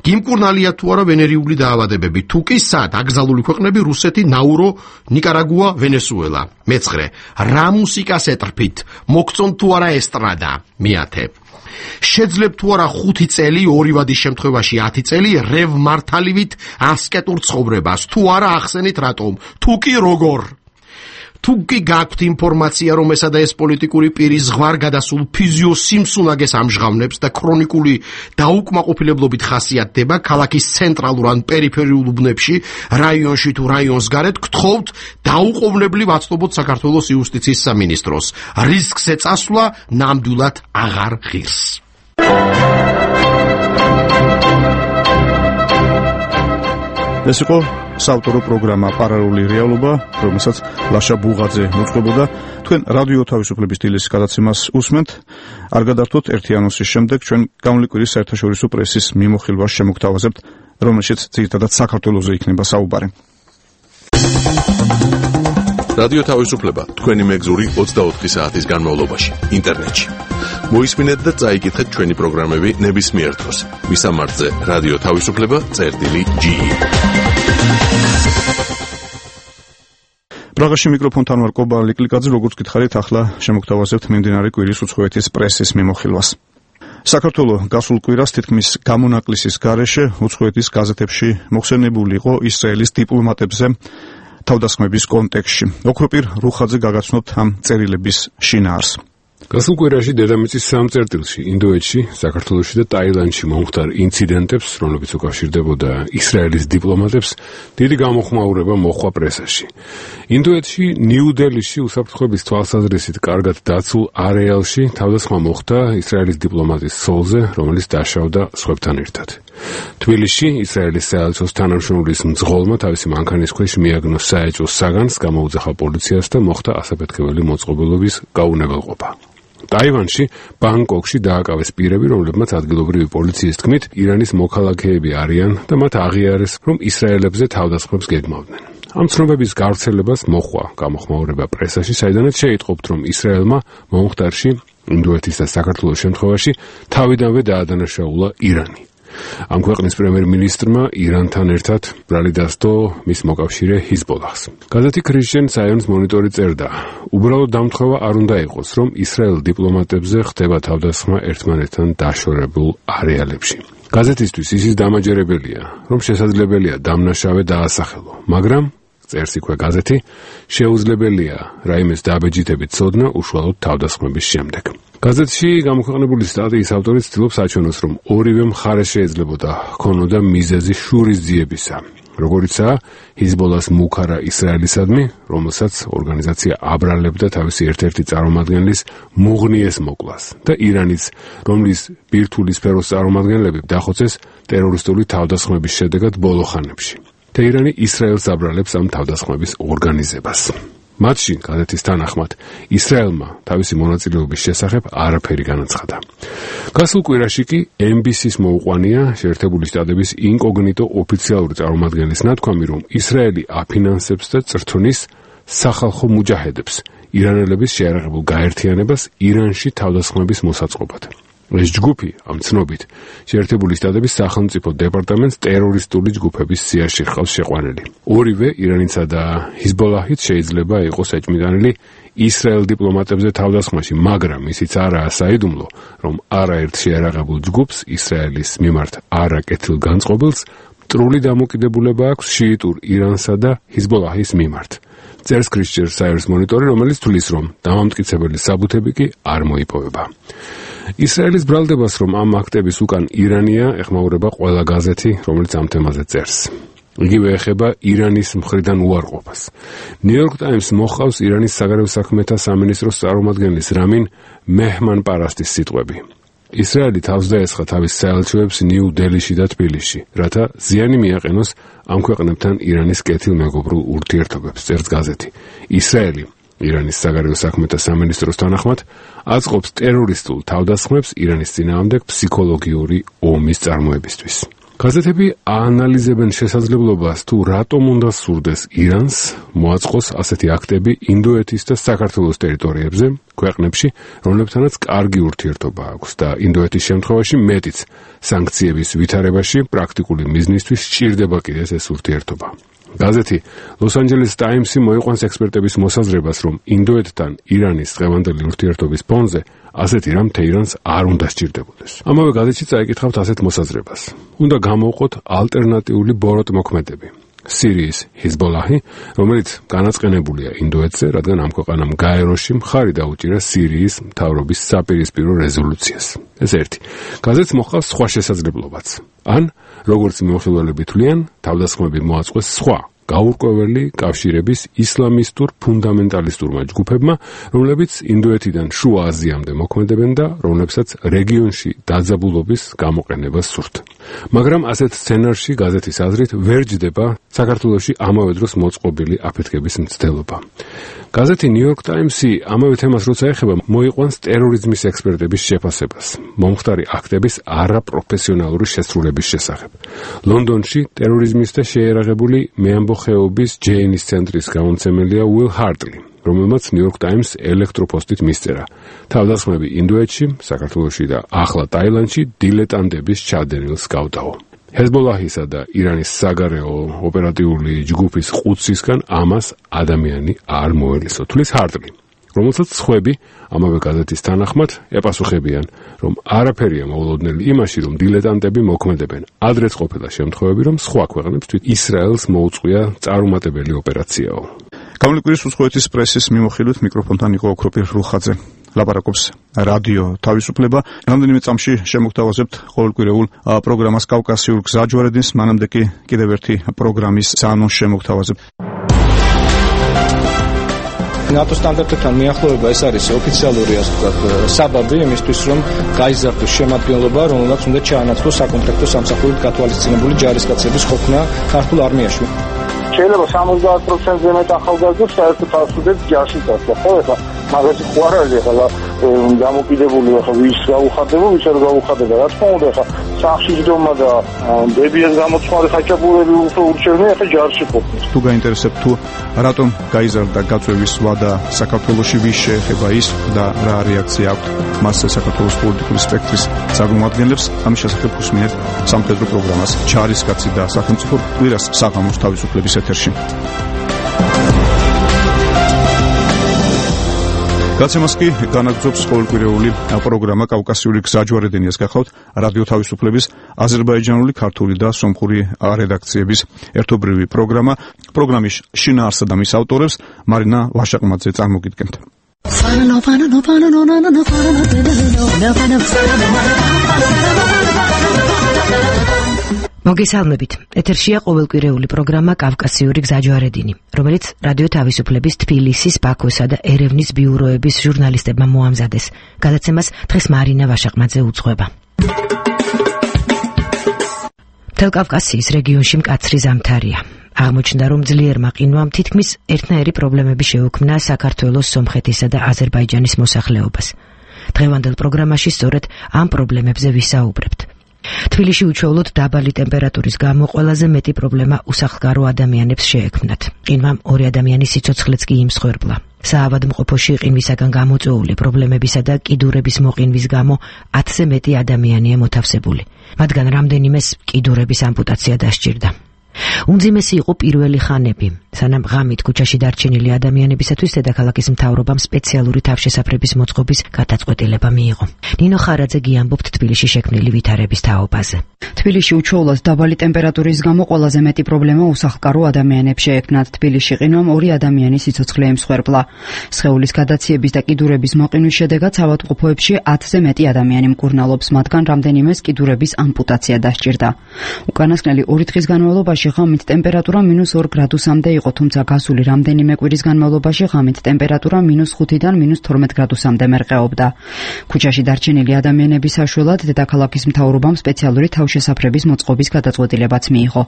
გიმკურნალია თუ არა ვენერიული დაავადებები, თუ კი სად? აკრძალული ქვეყნები რუსეთი, ნაურო, ნიკარაგუა, ვენესუელა. მეცხრე, რა მუსიკას ეტრფით? მოგწონთ თუ არა ესტრადა? მეათე, შეძლებთ თუ არა ხუთი წელი, ორი ვადის შემთხვევაში ათი წელი რევ მართალივით ასკეტურ ცხოვრებას, თუ არა ახსენით რატომ, თუ კი როგორ. თუ კი გაქვთ ინფორმაცია, რომ ესა და ეს პოლიტიკური პირი ზღვარ გადასულ ფიზიოსიმსუნაგეს ამჟღავნებს და ქრონიკული დაუკმაყოფილებლობით ხასიათდება ქალაქის ცენტრალურ ან პერიფერიულ უბნებში, რაიონში თუ რაიონს გარეთ, გთხოვთ დაუყოვნებლივ აცნობოთ საქართველოს იუსტიციის სამინისტროს. რისკზე წასვლა ნამდვილად აღარ ღირს. ეს იყო საავტორო პროგრამა პარალელური რეალობა, რომელსაც ლაშა ბუღაძე მოწყობოდა. თქვენ რადიო თავისუფლების დილის გადაცემას უსმენთ. არ გადართოთ ერთი ანონსის შემდეგ ჩვენ გამლეკვირის საერთაშორისო პრესის მიმოხილვას შემოგთავაზებთ, რომელშიც ძირითადად საქართველოზე იქნება საუბარი. რადიო თავისუფლება თქვენი მეგზური ოცდაოთხი საათის განმავლობაში ინტერნეტში. მოისმინეთ და წაიკითხეთ ჩვენი პროგრამები ნებისმიერ დროს. მისამართზე რადიო თავისუფლება წერტილი ჯი. პრაღაში მიკროფონთან ვარ კობა ლიკლიკაძე, როგორც გითხარით, ახლა შემოგთავაზებთ მიმდინარე კვირის უცხოეთის პრესის მიმოხილვას. საქართველოს გასულ კვირას თითქმის გამონაკლისის გარეშე უცხოეთის გაზეთებში მოხსენებული იყო ისრაელის დიპლომატებზე თავდასხმების კონტექსტში. ოქროპირ რუხაძე გაგაცნობთ ამ წერილების შინაარს. გასულ კვირაში დედამიწის სამ წერტილში, ინდოეთში, საქართველოში და ტაილანდში მომხდარ ინციდენტებს, რომლებიც უკავშირდებოდა ისრაელის დიპლომატებს, დიდი გამოხმაურება მოჰყვა პრესაში. ინდოეთში, ნიუ-დელიში უსაფრთხოების თვალსაზრისით კარგად დაცულ არეალში თავდასხმა მოხდა ისრაელის დიპლომატის სოლზე, რომელიც დაშავდა სხვებთან ერთად. თბილისში ისრაელის საელჩოს თანამშრომლის მძღოლმა თავისი მანქანის ქვეშ მიაგნო საეჭვო საგანს, გამოუძახა პოლიციას და მოხდა ასაფეთქებელი მოწყობილობის გაუნებელყოფა. ტაივანში, ბანგკოკში დააკავეს პირები, რომლებმაც ადგილობრივი პოლიციის თქმით, ირანის მოქალაქეები არიან და მათ აღიარეს, რომ ისრაელებზე თავდასხმებს გეგმავდნენ. ამ ცნობების გავრცელებას მოჰყვა გამოხმაურება პრესაში, საიდანაც შეიტყობთ, რომ ისრაელმა მომხდარში, ინდოეთის და საქართველოს შემთხვევაში, თავიდანვე დაადანაშაულა ირანი. ამ ქვეყნის პრემიერ-მინისტრმა ირანთან ერთად ბრალი დასდო მის მოკავშირე ჰიზბოლაჰს. გაზეთი ქრისტიან საიონს მონიტორი წერდა: უბრალოდ დამთხოვა არ უნდა იყოს, რომ ისრაელ დიპლომატებზე ხდება თავდასხმა ერთმანეთთან დაშორებულ არეალებში. გაზეთისთვის ისიც დამაჯერებელია, რომ შესაძლებელია დამნაშავე დაასახელო, მაგრამ წერს იქვე გაზეთი, შეუძლებელია რაიმეს დაბეჯითებით ცოდნა უშუალოდ თავდასხმების შემდეგ. გაზეთში გამოქვეყნებული სტატიის ავტორი ცდილობს აჩვენოს, რომ ორივე მხარეს შეიძლებოდა ჰქონოდა მიზეზი შურისძიებისა, როგორიცაა ჰიზბოლას მუქარა ისრაელისადმი, რომელსაც ორგანიზაცია აბრალებდა თავისი ერთ-ერთი წარმომადგენლის მუღნიეს მოკლას და ირანის, რომლის ბირთვული სფეროს წარმომადგენლები დახოცეს ტერორისტული თავდასხმების შედეგად ბოლო ხანებში. თეირანი ისრაელს აბრალებს ამ თავდასხმების ორგანიზებას. მათში, გაზეთის თანახმად, ისრაელმა თავისი მონაწილეობის შესახებ არაფერი განაცხადა. გასულ კვირაში კი ემ ბი სის მოუყვანია შეერთებული შტატების ინკოგნიტო ოფიციალური წარმომადგენლის ნათქვამი, რომ ისრაელი აფინანსებს და წრთნის სახალხო მუჯაჰედებს, ირანელების შეიარაღებულ გაერთიანებას ირანში თავდასხმების მოსაწყობად. ეს ჯგუფი, ამ ცნობით, შეერთებული შტატების სახელმწიფო დეპარტამენტს ტერორისტული ჯგუფების სიაში ხავს შეყვანილი. ორივე ირანისა და ჰიზბოლაჰით შეიძლება იყოს ეჭმიტანილი ისრაელ დიპლომატებზე თავდასხმაში, მაგრამ ისიც არაა საიდუმლო, რომ არაერთ შეიარაღებულ ჯგუფს ისრაელის მიმართ არაკეთილ განწყობილს მტრული დამოკიდებულება აქვს შიიტურ ირანსა და ჰიზბოლაჰის მიმართ. წერს ქრისტიან საიერს მონიტორი, რომელიც თვლის, რომ დამამტკიცებელი საბუთები კი არ მოიპოვება. ისრაელის ბრალდებას, რომ ამ აქტების უკან ირანია, ეხმაურება ყველა გაზეთი, რომელიც ამ თემაზე წერს. იგივე ეხება ირანის მხრიდან უარყოფას. ნიუ-იორკ ტაიმს მოჰყავს ირანის საგარეო საქმეთა სამინისტროს წარმომადგენლის რამინ მეჰმანპარასტის სიტყვები. ისრაელი თავს დაესხა თავის საელჩოებს ნიუ-დელიში და თბილისში, რათა ზიანი მიაყენოს ამ ქვეყნებთან ირანის კეთილმეგობრულ ურთიერთობებს, წერს გაზეთი. ისრაელი ირანის საგარეო საქმეთა სამინისტროს თანახმად აწყობს ტერორისტულ თავდასხმებს ირანის წინააღმდეგ ფსიქოლოგიური ომის წარმოებისთვის. გაზეთები აანალიზებენ შესაძლებლობას, თუ რატომ უნდა სურდეს ირანს მოაწყოს ასეთი აქტები ინდოეთის და საქართველოს ტერიტორიებზე, ქვეყნებში, რომლებთანაც კარგი ურთიერთობა აქვს და ინდოეთის შემთხვევაში მეტიც სანქციების ვითარებაში პრაქტიკული მიზნისთვის სჭირდება კიდეც ეს ურთიერთობა. გაზეთი Los Angeles Times-ი მოიყვანს ექსპერტების მოსაზრებას, რომ ინდოეთთან ირანის დღევანდელი ურთიერთობის ფონზე ასეთი რამ თეირანს არ უნდა სჭირდებოდეს. ამავე გაზეთში წაიკითხავთ ასეთ მოსაზრებას. უნდა გამოვყოთ ალტერნატიული ბოროტმოქმედები. სირიის ჰიზბოლაჰი, რომელიც განაწყენებულია ინდოეთზე, რადგან ამ ქვეყანამ გაეროში მხარი დაუჭირა სირიის მთავრობის საპირისპირო რეზოლუციას. ეს ერთი. გაზეთს მოჰყავს სხვა შესაძლებლობაც. ან, როგორც მიმოხილველები თვლიან, თავდასხმები მოაწყვეს სხვა გაურკვეველი კავშირების ისლამისტურ ფუნდამენტალისტურმა ჯგუფებმა, რომლებიც ინდოეთიდან შუა აზიამდე მოქმედებენ და რომლებსაც რეგიონში დაძაბულობის გამოყენებას სურთ. მაგრამ ასეთ სცენარში გაზეთის აზრით ვერ ჯდება საქართველოში ამავე დროს მოწყობილი აფეთქების მცდელობა. გაზეთი New York Times-ი ამავე თემას როცა ეხება, მოიყვანს ტერორიზმის ექსპერტების შეფასებას, მომხდარი აქტების არაპროფესიონალური შესრულების შესახებ. ლონდონში ტერორიზმის და შეერაღებული მეამბოხეობის ჯეინის ცენტრის გამომცემელია Will Hartley, რომელმაც New York Times ელექტროპოსტით მისწერა. თავდასხმები ინდოეთში, საქართველოში და ახლა ტაილანდში დილეტანტების ჩადენილს გავდაო. ჰეზბოლაჰისა და ირანის საგარეო ოპერატიული ჯგუფის ყუთსისგან ამას ადამიანი არ მოელისო, თulis Hartley, რომელსაც სხვები ამავე გაზეთის თანახმად ეპასუხებიან, რომ არაფერია მოულოდნელი იმაში, რომ დილეტანტები მოქმედებენ. ადრეც ყოფილა შემთხვევები, რომ სხვა ქვეყნებს თვით ისრაელს მოუწყვია წარუმატებელი ოპერაციაო. გამლეკვირის უცხოეთის პრესის მიმოხილვით მიკროფონთან იყო ოქროპირ რუხაძე. ლაპარაკობს რადიო თავისუფლება. რამდენიმე წამში შემოგთავაზებთ ყოველკვირეულ პროგრამას კავკასიურ გზაჯვარედინს, მანამდე კი კიდევ ერთი პროგრამის საანონს შემოგთავაზებთ. ნატო სტანდარტებთან მიახლოება ეს არის ოფიციალური, ასე ვთქვათ, საბაბი იმისთვის, რომ გაიზარდოს შემადგენლობა, რომელსაც უნდა ჩაანაცვლოს საკონტრაქტო სამსახურით გათვალისწინებული ჯარისკაცების ყოფნა ქართულ არმიაში. შეიძლება სამოცდაათ პროცენტზე მეტ ახალგაზრდებს საერთოდ არ სურდეთ ჯარში წასვლა, ხო? ეხლა მაგაში ხო არ არის ეხლა დამოკიდებული, ეხლა ვის გაუხარდება, ვის არ გაუხარდება. რა თქმა უნდა, ეხლა სახში ჯდომა და დებიას გამოცხარი ხაჭაპურები უფრო ურჩევნია, ეხლა ჯარში ყოფნის. თუ გაინტერესებთ თუ რატომ გაიზარდა გაწვევის ვადა საქართველოში, ვის შეეხება ის და რა რეაქცია აქვს მასზე საქართველოს პოლიტიკური სპექტრის წარმომადგენლებს, ამის შესახებ უსმინეთ სამხედრო პროგრამას ჯარისკაცი და სახელმწიფო კვირას საღამოს თავისუფლების ეთერში. გაცემას კი განაგრძობს ყოველკვირეული პროგრამა კავკასიური გზაჯვარედინიას. გახავთ რადიო თავისუფლების აზერბაიჯანული, ქართული და სომხური რედაქციების ერთობლივი პროგრამა. პროგრამის შინაარსსა და მის ავტორებს მარინა ვაშაყმაძე წარმოგიდგენთ. მოგესალმებით. ეთერშია ყოველკვირეული პროგრამა კავკასიური გზაჯვარედინი, რომელიც რადიო თავისუფლების თბილისის, ბაქოსა და ერევნის ბიუროების ჟურნალისტებმა მოამზადეს. გადაცემას დღეს მარინა ვაშაყმაძე უძღვება. მთელ კავკასიის რეგიონში მკაცრი ზამთარია. აღმოჩნდა, რომ ძლიერმა ყინვამ თითქმის ერთნაირი პრობლემები შეუქმნა საქართველოს, სომხეთისა და აზერბაიჯანის მოსახლეობას. დღევანდელ პროგრამაში სწორედ ამ პრობლემებზე ვისაუბრებთ. თბილისში უჩვეულოდ დაბალი ტემპერატურის გამო ყველაზე მეტი პრობლემა უსახლკარო ადამიანებს შეექმნათ. ყინვამ ორი ადამიანის სიცოცხლეც კი იმსხვერპლა. საავადმყოფოში ყინვისაგან გამოწვეული პრობლემებისა და კიდურების მოყინვის გამო ათზე მეტი ადამიანია მოთავსებული. მათგან რამდენიმეს კიდურების ამპუტაცია დასჭირდა. უმძიმესი იყო პირველი ხანები, სანამ ღამით ქუჩაში დარჩენილი ადამიანებისათვის დედაქალაქის მთავრობამ სპეციალური თავშესაფრების მოწყობის გადაწყვეტილება მიიღო. ნინო ხარაძე გიამბობთ თბილისში შექმნილი ვითარების თაობაზე. თბილისში უჩვეულოდ დაბალი ტემპერატურის გამო ყველაზე მეტი პრობლემა უსახლკარო ადამიანებს შეექმნათ. თბილისში ყინვამ ორი ადამიანის სიცოცხლე ემსხვერპლა. სხეულის გადაციების და კიდურების მოყინვის შედეგად საავადმყოფოებში ათზე მეტი ადამიანი მკურნალობს, მათგან რამდენიმეს კიდურების ამპუტაცია დასჭირდა. უკანასკნელი ორი დღის განმავლობაში ღამით ტემპერატურა მინუს ორ გრადუსამდე იყო, თუმცა გასული რამდენიმე კვირის განმავლობაში ღამით ტემპერატურა მინუს ხუთიდან მინუს თორმეტ გრადუსამდე მერყეობდა. ქუჩაში დარჩენილი ადამიანების საშველად დედაქალაქის მთავრობამ სპეციალური თავშესაფრების მოწყობის გადაწყვეტილებაც მიიღო.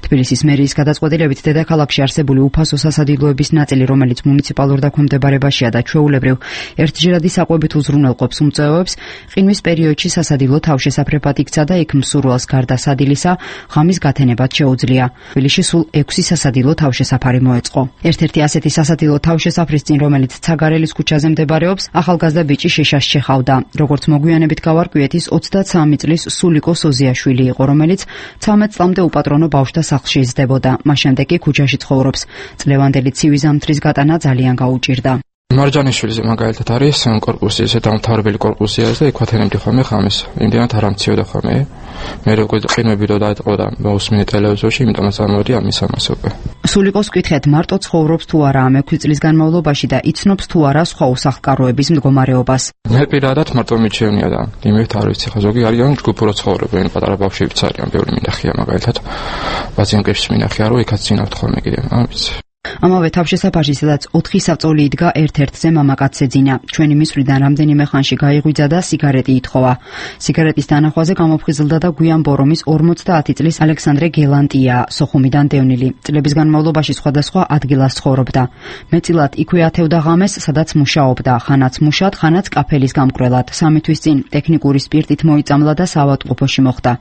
თბილისის მერიის გადაწყვეტილებით დედაქალაქში არსებული უფასო სასადილოების ნაწილი, რომელიც მუნიციპალურ დაქვემდებარებაშია და ჩვეულებრივ ერთჯერადი საკვებით უზრუნველყოფს უმწვევებს, ყინვის პერიოდში სასადილო თავშესაფრებად იქცა და იქ მსურველს გარდა სადილისა ღამის გათენებად შეუძლია შეუძლია. თბილისში სულ ექვსი სასადილო თავშესაფარი მოეწყო. ერთ-ერთი ასეთი სასადილო თავშესაფრის წინ, რომელიც ცაგარელის ქუჩაზე მდებარეობს, ახალგაზრდა ბიჭი შეშას შეხავდა. როგორც მოგვიანებით გავარკვიეთ, ოცდაცამი წლის სულიკო სოზიაშვილი იყო, რომელიც ცამეტ წლამდე უპატრონო ბავშვთა სახლში იზრდებოდა. მას შემდეგ კი ქუჩაში ცხოვრობს. წლევანდელი ცივი ზამთრის გატანა ძალიან გაუჭირდა. მარჯანიშვილზე მაგალითად არის კორპუსი, ესე დამთავრებელი კორპუსია და იქ ვათენებდი ხოლმე ხამის. იმდენად არ ამციოდა ხოლმე. მე როგორ ყინვები რო დაიწყო და მოусმინე ტელევიზორში, იმიტომაც ამოდი ამის ამას უკვე. სულიკოს კითხეთ, მარტო ცხოვრობს თუ არა ამ ექვსი წლის განმავლობაში და იცნობს თუ არა სხვა უსახლკაროების მდგომარეობას. მე პირადად მარტო მიჩვენია და იმით არ ვიცი, ხო ზოგი არიან ჯგუფურო ცხოვრობენ, პატარა ბავშვებიც არიან, ბევრი მინახია მაგალითად. პაციენტებს მინახია, რომ იქაც წინავთ ხოლმე კიდე, არ ვიცი. ამავე თავშესაფარში, სადაც ოთხი საბწოლი იდგა, ერთ-ერთზე მამაკაცს ეძინა. ჩვენი მისვრიდან რამდენიმე ხანში გაიღვიძა და სიგარეტი ითხოვა. სიგარეტის დანახვაზე გამოფხიზლდა და გვიან ბორომის ორმოცდაათი წლის ალექსანდრე გელანტია, სოხუმიდან დევნილი. წლების განმავლობაში სხვადასხვა ადგილას ცხოვრობდა. მეტწილად იქვე ათევდა ღამეს, სადაც მუშაობდა, ხანაც მუშად, ხანაც კაფელის გამკვრელად. სამი თვის წინ ტექნიკური სპირტით მოიწამლა და საავადმყოფოში მოხვდა.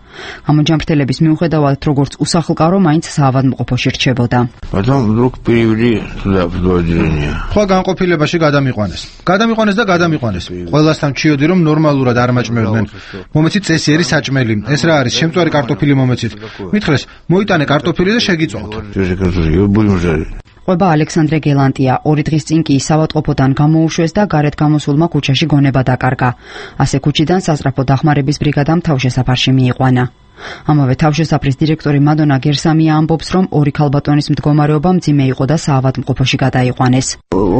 გამოჯამრთელების მიუხედავად, როგორც უსახლკარო, მაინც საავადმყოფოში რჩებოდა. ხო განყოფილებაში გადამიყვანეს. გადამიყვანეს და გადამიყვანეს. ყველასთან ჩიოდი რომ ნორმალურად არ მაჭმევდნენ. მომეცით წესიერი საჭმელი. ეს რა არის? შემწვარი კარტოფილი მომეცით. მითხრეს, მოიტანე კარტოფილი და შეგიწვავთ. ყვება ალექსანდრე გელანტია ორი დღის წინ კი საავადმყოფოდან გამოუშვეს და გარეთ გამოსულმა ქუჩაში გონება დაკარგა. ასე ქუჩიდან სასწრაფო დახმარების ბრიგადამ თავშესაფარში მიიყვანა. ამავე თავშესაფრის დირექტორი მადონა გერსამია ამბობს, რომ ორი ქალბატონის მდგომარეობა მძიმე იყო და საავადმყოფოში გადაიყვანეს.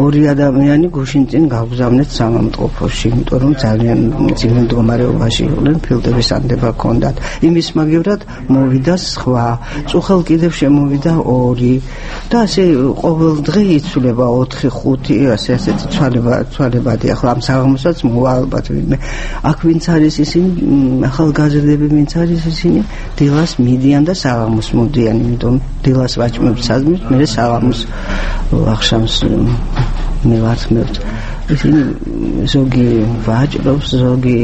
ორი ადამიანი გუშინ წინ გავგზავნეთ საავადმყოფოში, იმიტომ რომ ძალიან მძიმე მდგომარეობაში იყვნენ, ფილტვების ანდება ჰქონდათ. იმის მაგივრად მოვიდა სხვა, წუხელ კიდევ შემოვიდა ორი და ასე ყოველ დღე იცვლება ოთხი ხუთი, ასე ასეთი ცვალება ცვალებადი. ახლა ამ საღამოსაც მოვა ალბათ ვინმე. აქ ვინც არის ისინი, ახალგაზრდები ვინც არის ისინი დილას მიდიან და საღამოს მოდიან, იმიტომ დილას ვაჭმევთ საზმით, მერე საღამოს ახშამს მივართმევთ. ისინი ზოგი ვაჭრობს, ზოგი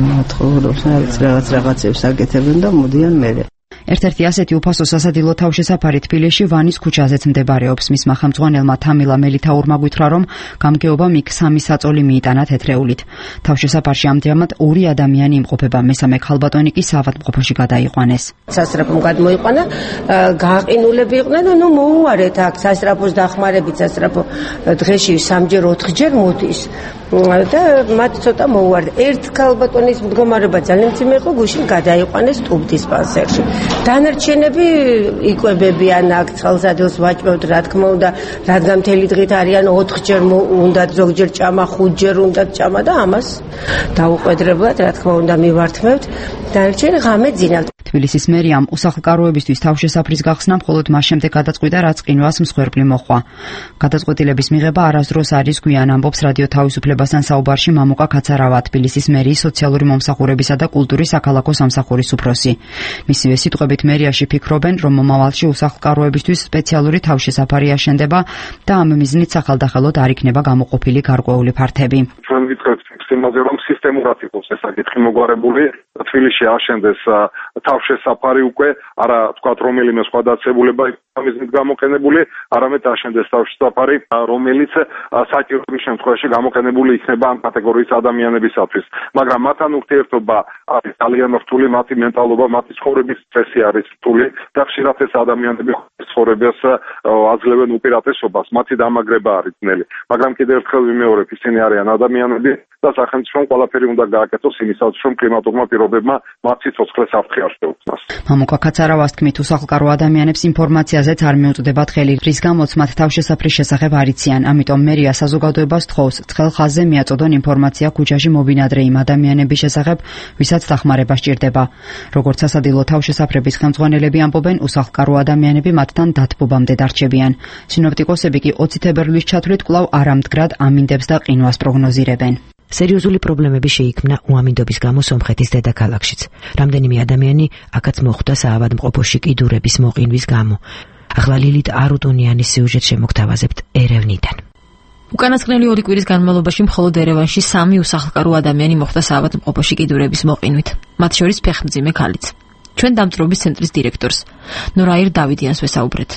მოთხოვს, რაღაც რაღაცებს აკეთებენ და მოდიან მერე. ერთ-ერთი ასეთი უფასო სასადილო თავშესაფარი თბილისში ვანის ქუჩაზეც მდებარეობს. მისმა ხელმძღვანელმა თამილა მელითაურმა გვითხრა, რომ გამგეობამ იქ სამი საწოლი მიიტანა თეთრეულით. თავშესაფარში ამჟამად ორი ადამიანი იმყოფება, მესამე ქალბატონი კი საავადმყოფოში გადაიყვანეს. სასწრაფომ გადმოიყვანა, გაყინულები იყვნენ და ნუ მოუარეთ აქ სასწრაფოს დახმარებით, სასწრაფო დღეში სამჯერ ოთხჯერ მოდის. და მათ ცოტა მოუარდა. ერთ ქალბატონის მდგომარეობა ძალიან მძიმე იყო, გუშინ გადაიყვანეს ტუბდისპანსერში. დანარჩენები იკვებებიან აქ ცხელსადილს ვაჭმევთ, რა თქმა უნდა, რადგან მთელი დღით არიან ოთხჯერ უნდა ზოგჯერ ჭამა, ხუთჯერ უნდა ჭამა და ამას დაუყვედრებლად, რა თქმა უნდა, მივართმევთ. დანარჩენი ღამე ძინავთ. თბილისის მერიამ უსახლკაროებისთვის თავშესაფრის გახსნა მხოლოდ მას შემდეგ გადაწყვიტა, რაც ყინვას მსხვერპლი მოჰყვა. გადაწყვეტილების მიღება არასდროს არის გვიან, ამბობს რადიო თავისუფლებასთან საუბარში მამუკა კაცარავა, თბილისის მერიის სოციალური მომსახურებისა და კულტურის საქალაქო სამსახურის უფროსი. მისივე სიტყვებით მერიაში ფიქრობენ, რომ მომავალში უსახლკაროებისთვის სპეციალური თავშესაფარი აშენდება და ამ მიზნით სახალდახელოდ არ იქნება გამოყოფილი გარკვეული ფართები. ჩვენ ვიტყვით იმაზე, რომ სისტემურად იყოს ეს საკითხი მოგვარებული, თბილისში აშენდეს თავშესაფარი უკვე, არა თქვათ რომელიმე სხვა დაწესებულება მიზნით გამოყენებული, არამედ აშენდეს თავშესაფარი, რომელიც საჭიროების შემთხვევაში გამოყენებული იქნება ამ კატეგორიის ადამიანებისათვის. მაგრამ მათთან ურთიერთობა არის ძალიან რთული, მათი მენტალობა, მათი ცხოვრების წესი არის რთული და ხშირად ეს ადამიანები ცხოვრებას აძლევენ უპირატესობას, მათი დამაგრება არის ძნელი. მაგრამ კიდევ ერთხელ ვიმეორებ, ისინი არიან ადამიანები და სახელმწიფომ ყველაფერი უნდა გააკეთოს იმისათვის, რომ კლიმატურმა პირობებმა მათ სიცოცხლეს აფრთხე არ შეუქმნას. მამუკა კაცარავას თქმით, უსახლკარო ადამიანებს ინფორმაციაზეც არ მიუწვდებათ ხელი, რის გამოც მათ თავშესაფრის შესახებ არ იციან. ამიტომ მერია საზოგადოებას თხოვს, ცხელ ხაზზე მიაწოდონ ინფორმაცია ქუჩაში მობინადრე იმ ადამიანების შესახებ, ვისაც დახმარება სჭირდება. როგორც სასადილო თავშესაფრების ხელმძღვანელები ამბობენ, უსახლკარო ადამიანები მათთან დათბობამდე დარჩებიან. სინოპტიკოსები კი ოცი თებერვლის ჩათვლით კვლავ არამდგრად ამინდებს და ყინვას პროგნოზირებენ. სერიოზული პრობლემები შეიქმნა უამინდობის გამო სომხეთის დედაქალაქშიც. რამდენიმე ადამიანი აქაც მოხვდა საავადმყოფოში კიდურების მოყინვის გამო. ახლა ლილით არუტუნიანის სიუჟეტს შემოგთავაზებთ ერევნიდან. უკანასკნელი ორი კვირის განმავლობაში მხოლოდ ერევანში სამი უსახლკარო ადამიანი მოხვდა საავადმყოფოში კიდურების მოყინვით. მათ შორის ფეხმძიმე ქალიც. ჩვენ დამწრობის ცენტრის დირექტორს ნორაირ დავიდიანს ვესაუბრეთ.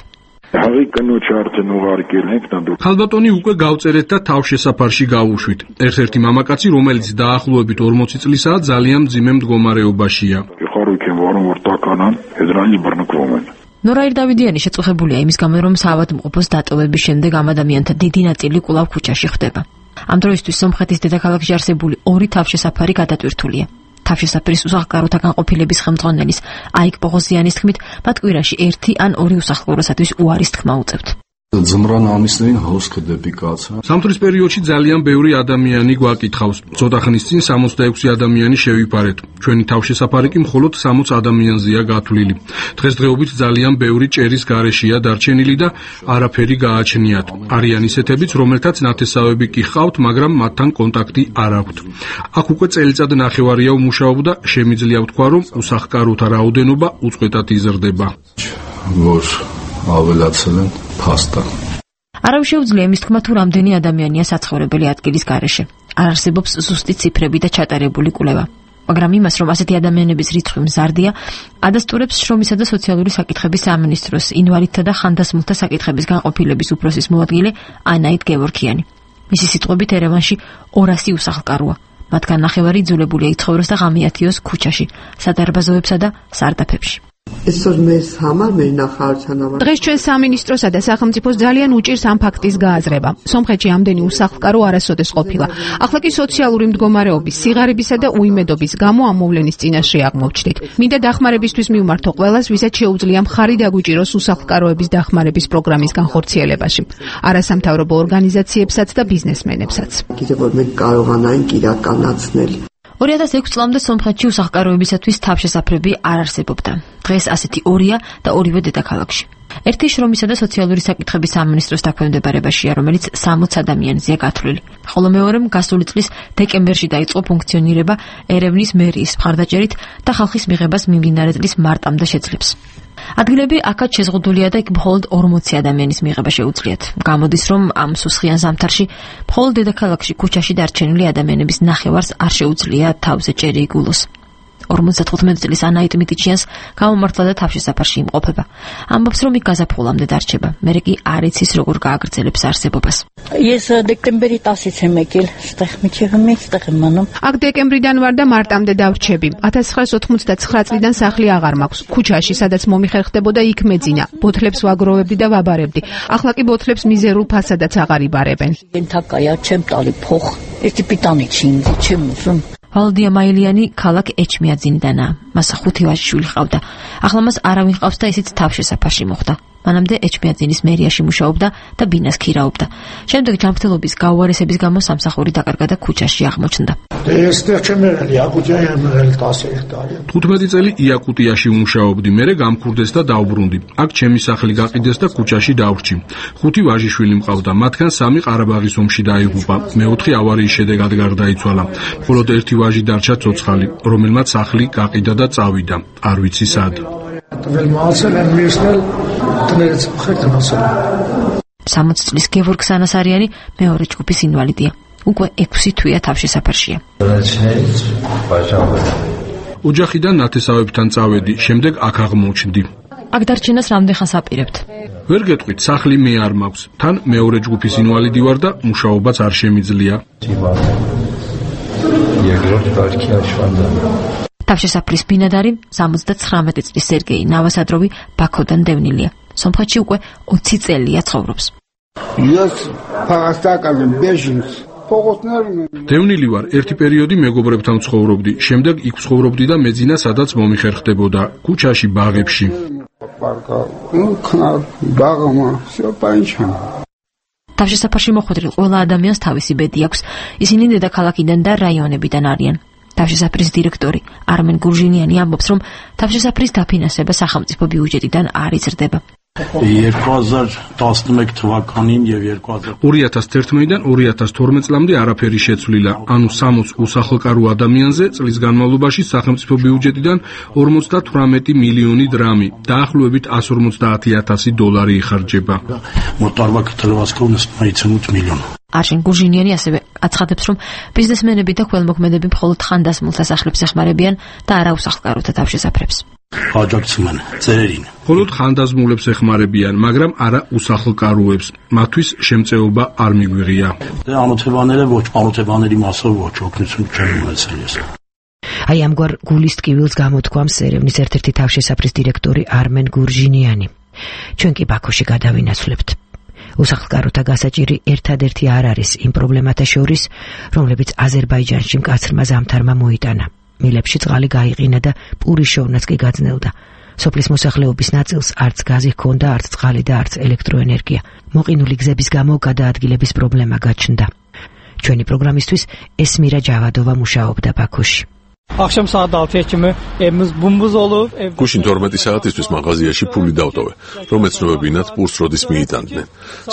ხალბატონი უკვე გავწერეთ და თავშესაფარში გავუშვით. ერთ-ერთი მამაკაცი, რომელიც დაახლოებით ორმოცი წლისაა, ძალიან მძიმე მდგომარეობაშია. ნორაირ დავიდიანი შეწუხებულია იმის გამო, რომ საავადმყოფოს დატოვების შემდეგ ამ ადამიანთა დიდი ნაწილი კვლავ ქუჩაში ხვდება. ამ დროისთვის სომხეთის დედაქალაქში არსებული ორი თავშესაფარი გადატვირთულია. თავშესაფრის უსახლკაროთა განყოფილების ხელმძღვანელის აიკ პოღოზიანის თქმით, მათ კვირაში ერთი ან ორი უსახლკაროსათვის უარის თქმა უწევთ. სამთრის პერიოდში ძალიან ბევრი ადამიანი გვაკითხავს. ცოტა ხნის წინ სამოცდაექვსი ადამიანი შევიფარეთ. ჩვენი თავშესაფარი კი მხოლოდ სამოც ადამიანზეა გათვლილი. დღესდღეობით ძალიან ბევრი ჭერის გარეშეა დარჩენილი და არაფერი გააჩნიათ. არიან ისეთებიც, რომელთაც ნათესავები კი ჰყავთ, მაგრამ მათთან კონტაქტი არ აქვთ. აქ უკვე წელიწად ნახევარია ვმუშაობ და შემიძლია ვთქვა, რომ უსახლკაროთა რაოდენობა უწყვეტად იზრდება. აველაცელენ ფასტა. არავის შეუძლია იმის თქმა, თუ რამდენი ადამიანია საცხოვრებელი ადგილის გარეშე. არ არსებობს ზუსტი ციფრები და ჩატარებული კვლევა. მაგრამ იმას, რომ ასეთი ადამიანების რიცხვი მზარდია, ადასტურებს შრომისა და სოციალური საკითხების სამინისტროს ინვალიდთა და ხანდასმულთა საკითხების განყოფილების უფროსის მოადგილე ანაით გევორქიანი. მისი სიტყვებით, ერევანში ორასი უსახლკაროა. მათგან ნახევარი იძულებულია იცხოვროს და ღამეათიოს ქუჩაში, სადარბაზოებსა და სარდაფებში. დღეს ჩვენ სამინისტროსა და სახელმწიფოს ძალიან უჭირს ამ ფაქტის გააზრება. სომხეთში ამდენი უსახლკარო არასოდეს ყოფილა. ახლა კი სოციალური მდგომარეობის, სიღარიბისა და უიმედობის გამო ამ მოვლენის წინაშე აღმოჩნდით. მინდა დახმარებისთვის მივმართო ყველას, ვისაც შეუძლია მხარი დაგვიჭიროს უსახლკაროების დახმარების პროგრამის განხორციელებაში. არასამთავრობო ორგანიზაციებსაც და ბიზნესმენებსაც. ორი ათას ექვსი წლამდე სომხეთში უსახლკაროებისათვის თავშესაფრები არ არსებობდა. დღეს ასეთი ორია და ორივე დედაქალაქში. ერთი შრომისა და სოციალური საკითხების სამინისტროს დაქვემდებარებაშია, რომელიც სამოც ადამიანზეა გათვლილი. ხოლო მეორემ გასული წლის დეკემბერში დაიწყო ფუნქციონირება ერევნის მერიის მხარდაჭერით და ხალხის მიღებას მიმდინარე წლის მარტამდე შეძლებს. ადგილები აქაც შეზღუდულია და იქ მხოლოდ ორმოცი ადამიანის მიღება შეუძლიათ. გამოდის, რომ ამ სუსხიან ზამთარში მხოლოდ დედაქალაქში ქუჩაში დარჩენილი ადამიანების ნახევარს არ შეუძლია თავზე ჭერი იგულოს. ორმოცდათხუთმეტი წლის ანაიტ მიტიჩიანს გამომართლა და თავშესაფარში იმყოფება. ამბობს, რომ იქ გაზაფხულამდე დარჩება. მერე კი არ იცის, როგორ გააგრძელებს არსებობას. აქ დეკემბრიდან ვარ და მარტამდე დავრჩები. ათას ცხრაას ოთხმოცდაცხრა წლიდან სახლი აღარ მაქვს. ქუჩაში, სადაც მომიხერხდებოდა, იქ მეძინა. ბოთლებს ვაგროვებდი და ვაბარებდი. ახლა კი ბოთლებს მიზერულ ფასადაც აღარ იბარებენ. ვალდია მაილიანი ქალაქ ეჩმიაძინიდანაა. მას ხუთი ვაჟიშვილი ჰყავდა. ახლა მას არავინ ჰყავს და ისიც თავშესაფარში მოხვდა. მანამდე ეჩმიაძინის მერიაში მუშაობდა და ბინას ქირაობდა. შემდეგ ჯანმრთელობის გაუარესების გამო სამსახური დაკარგა და ქუჩაში აღმოჩნდა. თხუთმეტი წელი იაკუტიაში ვმუშაობდი, მერე გამქურდეს და დავბრუნდი. აქ ჩემი სახლი გაყიდეს და ქუჩაში დავრჩი. ხუთი ვაჟიშვილი მყავდა, მათგან სამი ყარაბაღის ომში დაიღუპა. მეოთხე ავარიის შედეგად გარდაიცვალა. მხოლოდ ერთი ვაჟი დარჩა ცოცხალი, რომელმაც სახლი გაყიდა და წავიდა. არ ვიცი სად. სამოცი წლის გევორგ სანასარიანი მეორე ჯგუფის ინვალიდია. უკვე ექვსი თვეა თავშესაფარშია. ოჯახიდან ნათესავებთან წავედი, შემდეგ აქ აღმოჩნდი. აქ დარჩენას რამდენხანს აპირებთ? ვერ გეტყვით, სახლი მე არ მაქვს. თან მეორე ჯგუფის ინვალიდი ვარ და მუშაობაც არ შემიძლია. თავშესაფრის ბინადარი სამოცდაცხრამეტი წლის სერგეი ნავასადროვი ბაქოდან დევნილია. სომხეთში უკვე ოცი წელია ცხოვრობს. დევნილი ვარ, ერთი პერიოდი მეგობრებთან ცხოვრობდი, შემდეგ იქ ცხოვრობდი და მეძინა სადაც მომიხერხდებოდა, ქუჩაში, ბაღებში. თავშესაფარში მოხვედრილ ყველა ადამიანს თავისი ბედი აქვს. ისინი დედაქალაქიდან და რაიონებიდან არიან. თავშესაფრის დირექტორი არმენ გურჟინიანი ამბობს, რომ თავშესაფრის დაფინანსება სახელმწიფო ბიუჯეტიდან არ იზრდება. ორი ათას თერთმეტიდან ორი ათას თორმეტ წლამდე არაფერი შეცვლილა, ანუ სამოც უსახლკარო ადამიანზე წლის განმავლობაში სახელმწიფო ბიუჯეტიდან ორმოცდათვრამეტი მილიონი დრამი, დაახლოებით εκατს ორმოცდაათი ათასი დოლარი იხარჯება. არშენ გურჟინიანი ასევე აცხადებს, რომ ბიზნესმენები და ქველმოქმედები მხოლოდ ხანდასმულ სასახლებს ეხმარებიან და არა უსახლკაროთა თავშესაფრებს. აჯაკცმენ წერინ მხოლოდ ხანდაზმულებს ეხმარებიან, მაგრამ არა უსახლკაროებს. მათთვის შემწეობა არ მიგვიღია. და ამოთებანელე ոչ ამოთებანელი მასով ոչ ოქნიცუნ ჩემმეცელიეს. აი ამგვარ გულის ტკივილს გამოთქვამს ერევნის ერთ-ერთი თავშესაფრის დირექტორი არმენ გურჟინიანი. ჩვენ კი ბაქოში გადავინაცვლებთ. უსახლკაროთა გასაჭირი ერთადერთი არ არის იმ პრობლემათა შორის, რომლებიც აზერბაიჯანში მკაცრმა ზამთარმა მოიტანა. მილებში წყალი გაიყინა და პურის შოვნაც კი გაძნელდა. სოფლის მოსახლეობის ნაწილს არც გაზი ჰქონდა, არც წყალი და არც ელექტროენერგია. მოყინული გზების გამო გადაადგილების პრობლემა გაჩნდა. ჩვენი პროგრამისთვის ესმირა ჯავადოვა მუშაობდა ბაქოში. Akşam saat altıya kimi evimiz bumbuz olub. გუშინ თორმეტი საათისთვის მაღაზიაში ფული დავტოვე, რომ ეცნობებინათ პურს როდის მიიტანდნენ.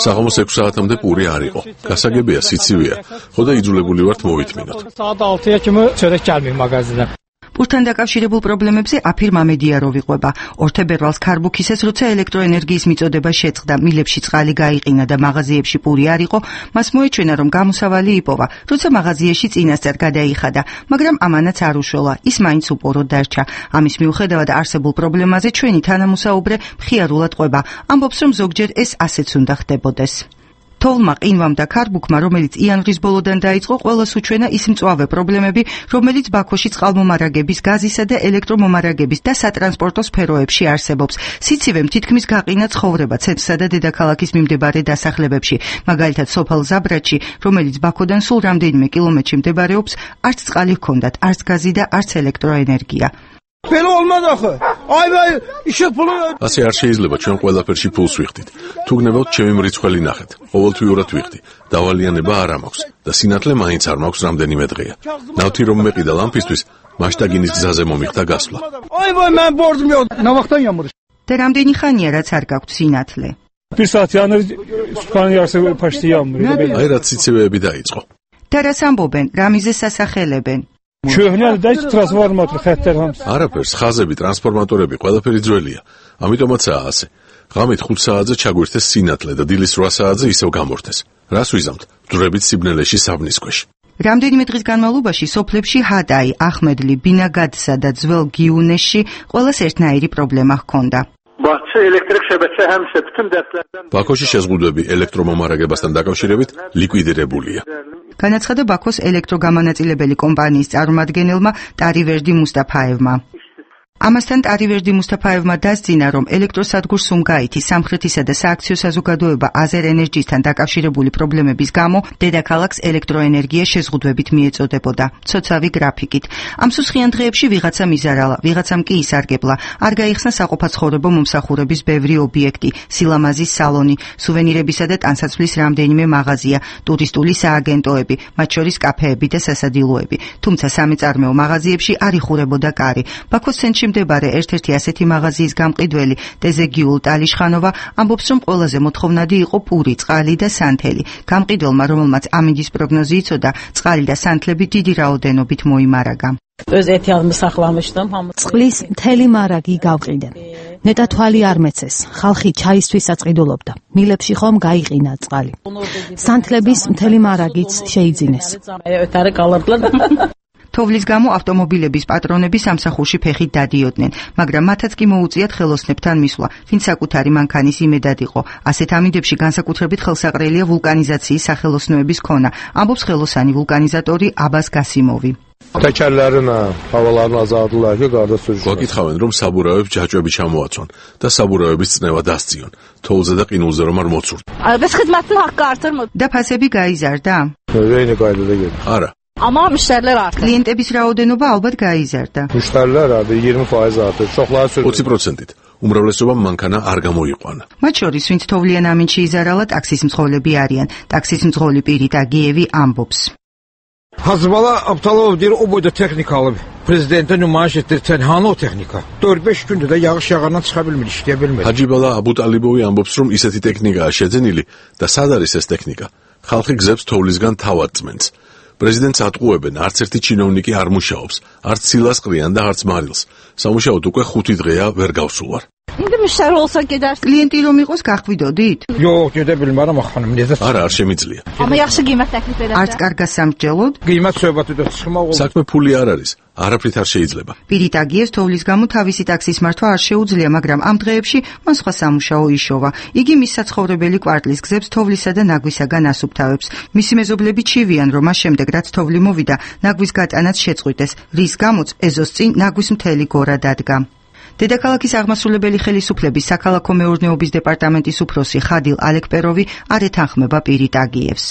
საღამოს ექვსი საათამდე პური არ იყო. გასაგებია, სიცივეა, ხო და იძულებული ვართ მოვითმინოთ. Saat altıya kimi çörek gəlmir მაღაზიიდან. პურთან დაკავშირებულ პრობლემებზე აფირ მამედიაროვ იყვება. ორთებერვალს ქარბუქისეს, როცა ელექტროენერგიის მიწოდება შეწყდა, მილებში წყალი გაიყინა და მაღაზიებში პური არ იყო, მას მოეჩვენა, რომ გამოსავალი იპოვა, როცა მაღაზიაში წინასწარ გადაიხადა, მაგრამ ამანაც არ უშველა, ის მაინც უპოროდ დარჩა. ამის მიუხედავად არსებულ პრობლემაზე ჩვენი თანამოსაუბრე მხიარულად ყვება, ამბობს, რომ ზოგჯერ ეს ასეც უნდა ხდებოდეს. თოვლმა, ყინვამ და ქარბუქმა, რომელიც იანვრის ბოლოდან დაიწყო, ყველას უჩვენა ის მწვავე პრობლემები, რომელიც ბაქოში წყალმომარაგების, გაზისა და ელექტრომომარაგების და სატრანსპორტო სფეროებში არსებობს. სიცივემ თითქმის გაყინა ცხოვრება ცენტრსა და დედაქალაქის მიმდებარე დასახლებებში, მაგალითად სოფელ ზაბრატში, რომელიც ბაქოდან სულ რამდენიმე კილომეტრში მდებარეობს, არც წყალი ჰქონდათ, არც გაზი და არც ელექტროენერგია. Belə olmaz axı. Ay vay, işıq pulu. ასე არ შეიძლება ჩვენ ყველაფერში ფულს ვიხდით. თუ გნებავთ ჩემი მრიცხველი ნახეთ. ყოველთვიურად ვიხდი. დავალიანება არ მაქვს და სინათლე მაინც არ მაქვს რამდენიმე დღეა. ნავთი რომ მეყიდა ლამპისთვის, მასშტაგინის გზაზე მომიხდა გასვლა. Ay vay, mən borcum yox. Nə vaxtdan yağmur? და რამდენი ხანია რაც არ გაქვთ სინათლე? Bir saat yağmur, sutkanın yarısı paşti yağmur. აი რაც სიცივეები დაიწყო. და რას ამბობენ, რა მიზეზს ასახელებენ? Köhnəli də transformator xəttlər hamısı. არაფერს, ხაზები, ტრანსფორმატორები, ყველაფერი ძველია. ამიტომაცაა ასე. ღამით ხუთ საათზე ჩაგვირთეს სინათლე და დილის რვა საათზე ისევ გამორთეს. რას ვიზამთ? ძვრებით სიბნელეში საბნის ქვეშ. რამდენიმე დღის განმავლობაში სოფლებში ჰადაი, ახმედლი, ბინაგადსა და ძველ გიუნეში ყველას ერთნაირი პრობლემა ჰქონდა. Bahçe elektrik şebeke həmişə bütün dərslərdən ბაქოში შეზღუდვები ელექტრომომარაგებასთან დაკავშირებით ლიკვიდირებულია. განაცხადა ბაქოს ელექტროგამანაწილებელი კომპანიის წარმომადგენელმა ტარივერდი მუსტაფაევმა. ამასთან ტარივერდი მუსტაფაევმა დასძინა, რომ ელექტროსადგურ სუმგაითი, სამხრეთისა და სააქციო საზოგადოება აზერენერგიისთან დაკავშირებული პრობლემების გამო დედაქალაქს ელექტროენერგია შეზღუდვებით მიეწოდებოდა, ცოცავი გრაფიკით. ამ სუსხიან დღეებში ვიღაცა მიზარალა, ვიღაცამ კი ისარგებლა. არ გაიხსნა საყოფაცხოვრებო მომსახურების ბევრი ობიექტი, სილამაზის სალონი, სუვენირებისა და ტანსაცმლის რამდენიმე მაღაზია, ტურისტული სააგენტოები, მათ შორის კაფეები და სასადილოები. თუმცა სამეწარმეო მაღაზიებში არ იხურებოდა კარი. ბაქოს ცენტრში მდებარე ერთ-ერთი ასეთი მაღაზიის გამყიდველი დეზეგიულ ტალიშხანოვა ამბობს, რომ ყველაზე მოთხოვნადი იყო პური, წყალი და სანთელი. გამყიდველმა, რომელმაც ამინდის პროგნოზი იცოდა, წყალი და სანთლები დიდი რაოდენობით მოიმარაგა. წყლის მთელი მარაგი გავყიდე. ნეტა თვალი არ მეცეს. ხალხი ჩაისთვის საწყიდულობდა. მილებში ხომ გაიყინა წყალი. სანთლების მთელი მარაგიც შეიძინეს. თოვლის გამო ავტომობილების პატრონები სამსახურში ფეხით დადიოდნენ, მაგრამ მათაც კი მოუწიათ ხელოსნებთან მისვლა, ვინც საკუთარი მანქანის იმედად იყო. ასეთ ამინდებში განსაკუთრებით ხელსაყრელია ვულკანიზაციის სახელოსნოების ქონა, ამბობს ხელოსანი ვულკანიზატორი აბას გასიმოვი. Təkərlərin havalarını azaldılar ki, qarda sürücülər. გვაკითხავენ, რომ საბურავებს ჯაჭვები ჩამოაცვან და საბურავების წნევა დასწიონ. თოვლზე და ყინულზე რომ არ მოცურთ. Bəs xidmətin haqqı artırmır. და ფასები გაიზარდა? Eyni qaydada gedir. არა. Amma müştərilər artır. Klientების რაოდენობა ალბათ გაიზარდა. Müştərilər artır iyirmi faiz artır. Çoxları sürücü. ოცი პროცენტით. უმრავლესობამ მანქანა არ გამოიყვანა. მათ შორის, ვინც თოვლიან ამინდში იზარალა, ტაქსის მძღოლები არიან. ტაქსის მძღოლი პირით აგიევი ამბობს. Hazbala Abtalov deyir, o boyda texnika alıb. Prezidentə nümayiş etdirən hanı o texnika? dörd beş gündür də yağış yağandan çıxa bilmir, işləyə bilmir. ჰაჯიბალა აბუტალიბოვი ამბობს, რომ ისეთი ტექნიკაა შეძენილი და სად არის ეს ტექნიკა? ხალხი გზებს თოვლისგან თავად წმენს. პრეზიდენტს ატყუებენ, არც ერთი ჩინოვნიკი არ მუშაობს, არც ცილას ყრიან და არც მარილს. სამუშაოდ უკვე ხუთი დღეა ვერ გავსულ ვარ. კლიენტი რომ იყოს გახვიდოდით? Jo, გედებელი, მაგრამ ახლა მე ეს არა, არ შემიძლია. არც კარგა სამსჯელოდ? გიმაცვება თუ ხმაო. საქმე ფული არ არის. არაფრით არ შეიძლება. პირით აგიეს თოვლის გამო თავისი ტაქსის მართვა არ შეუძლია, მაგრამ ამ დღეებში მან სხვა სამუშაო იშოვა. იგი მის საცხოვრებელი კვარტლის გზებს თოვლისა და ნაგვისაგან ასუფთავებს. მისი მეზობლები ჩივიან, რომ მას შემდეგ რაც თოვლი მოვიდა, ნაგვის გატანაც შეწყვიტეს, რის გამოც ეზოს წინ ნაგვის მთელი გორა დადგა. დედაქალაქის აღმასრულებელი ხელისუფლების საქალაქო მეურნეობის დეპარტამენტის უფროსი ხადილ ალეკპეროვი არ ეთანხმება პირით აგიევს.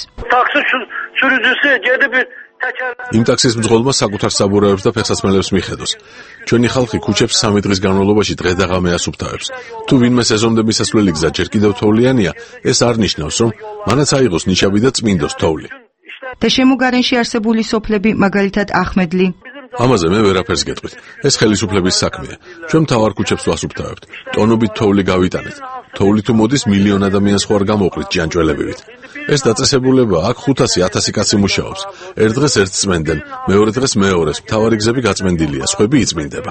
იმ ტაქსის მძღოლმა საკუთარ საბურავებს და ფეხსაცმელებს მიხედოს. ჩვენი ხალხი ქუჩებს სამი დღის განმავლობაში დღე და ღამე ასუფთავებს. თუ ვინმე სეზონდე მისასვლელი გზა ჯერ კიდევ თოვლიანია, ეს არ ნიშნავს, რომ მანაც აიღოს ნიშაბი და წმინდოს თოვლი. და შემოგარენში არსებული სოფლები, მაგალითად ახმედლი. ამაზე მე ვერაფერს გეტყვით. ეს ხელისუფლების საქმეა. ჩვენ მთავარ ქუჩებს ვასუფთავებთ. ტონობით თოვლი გავიტანეთ. თოვლი თუ მოდის მილიონ ადამიანს ხო არ გამოყრით ჯანჯველებივით. ეს დაწესებულება აქ ხუთასი ათასი კაცი მუშაობს. ერთ დღეს ერთს წმენდნენ, მეორე დღეს მეორეს. მთავარი გზები გაწმენდილია, სხვები იწმინდება.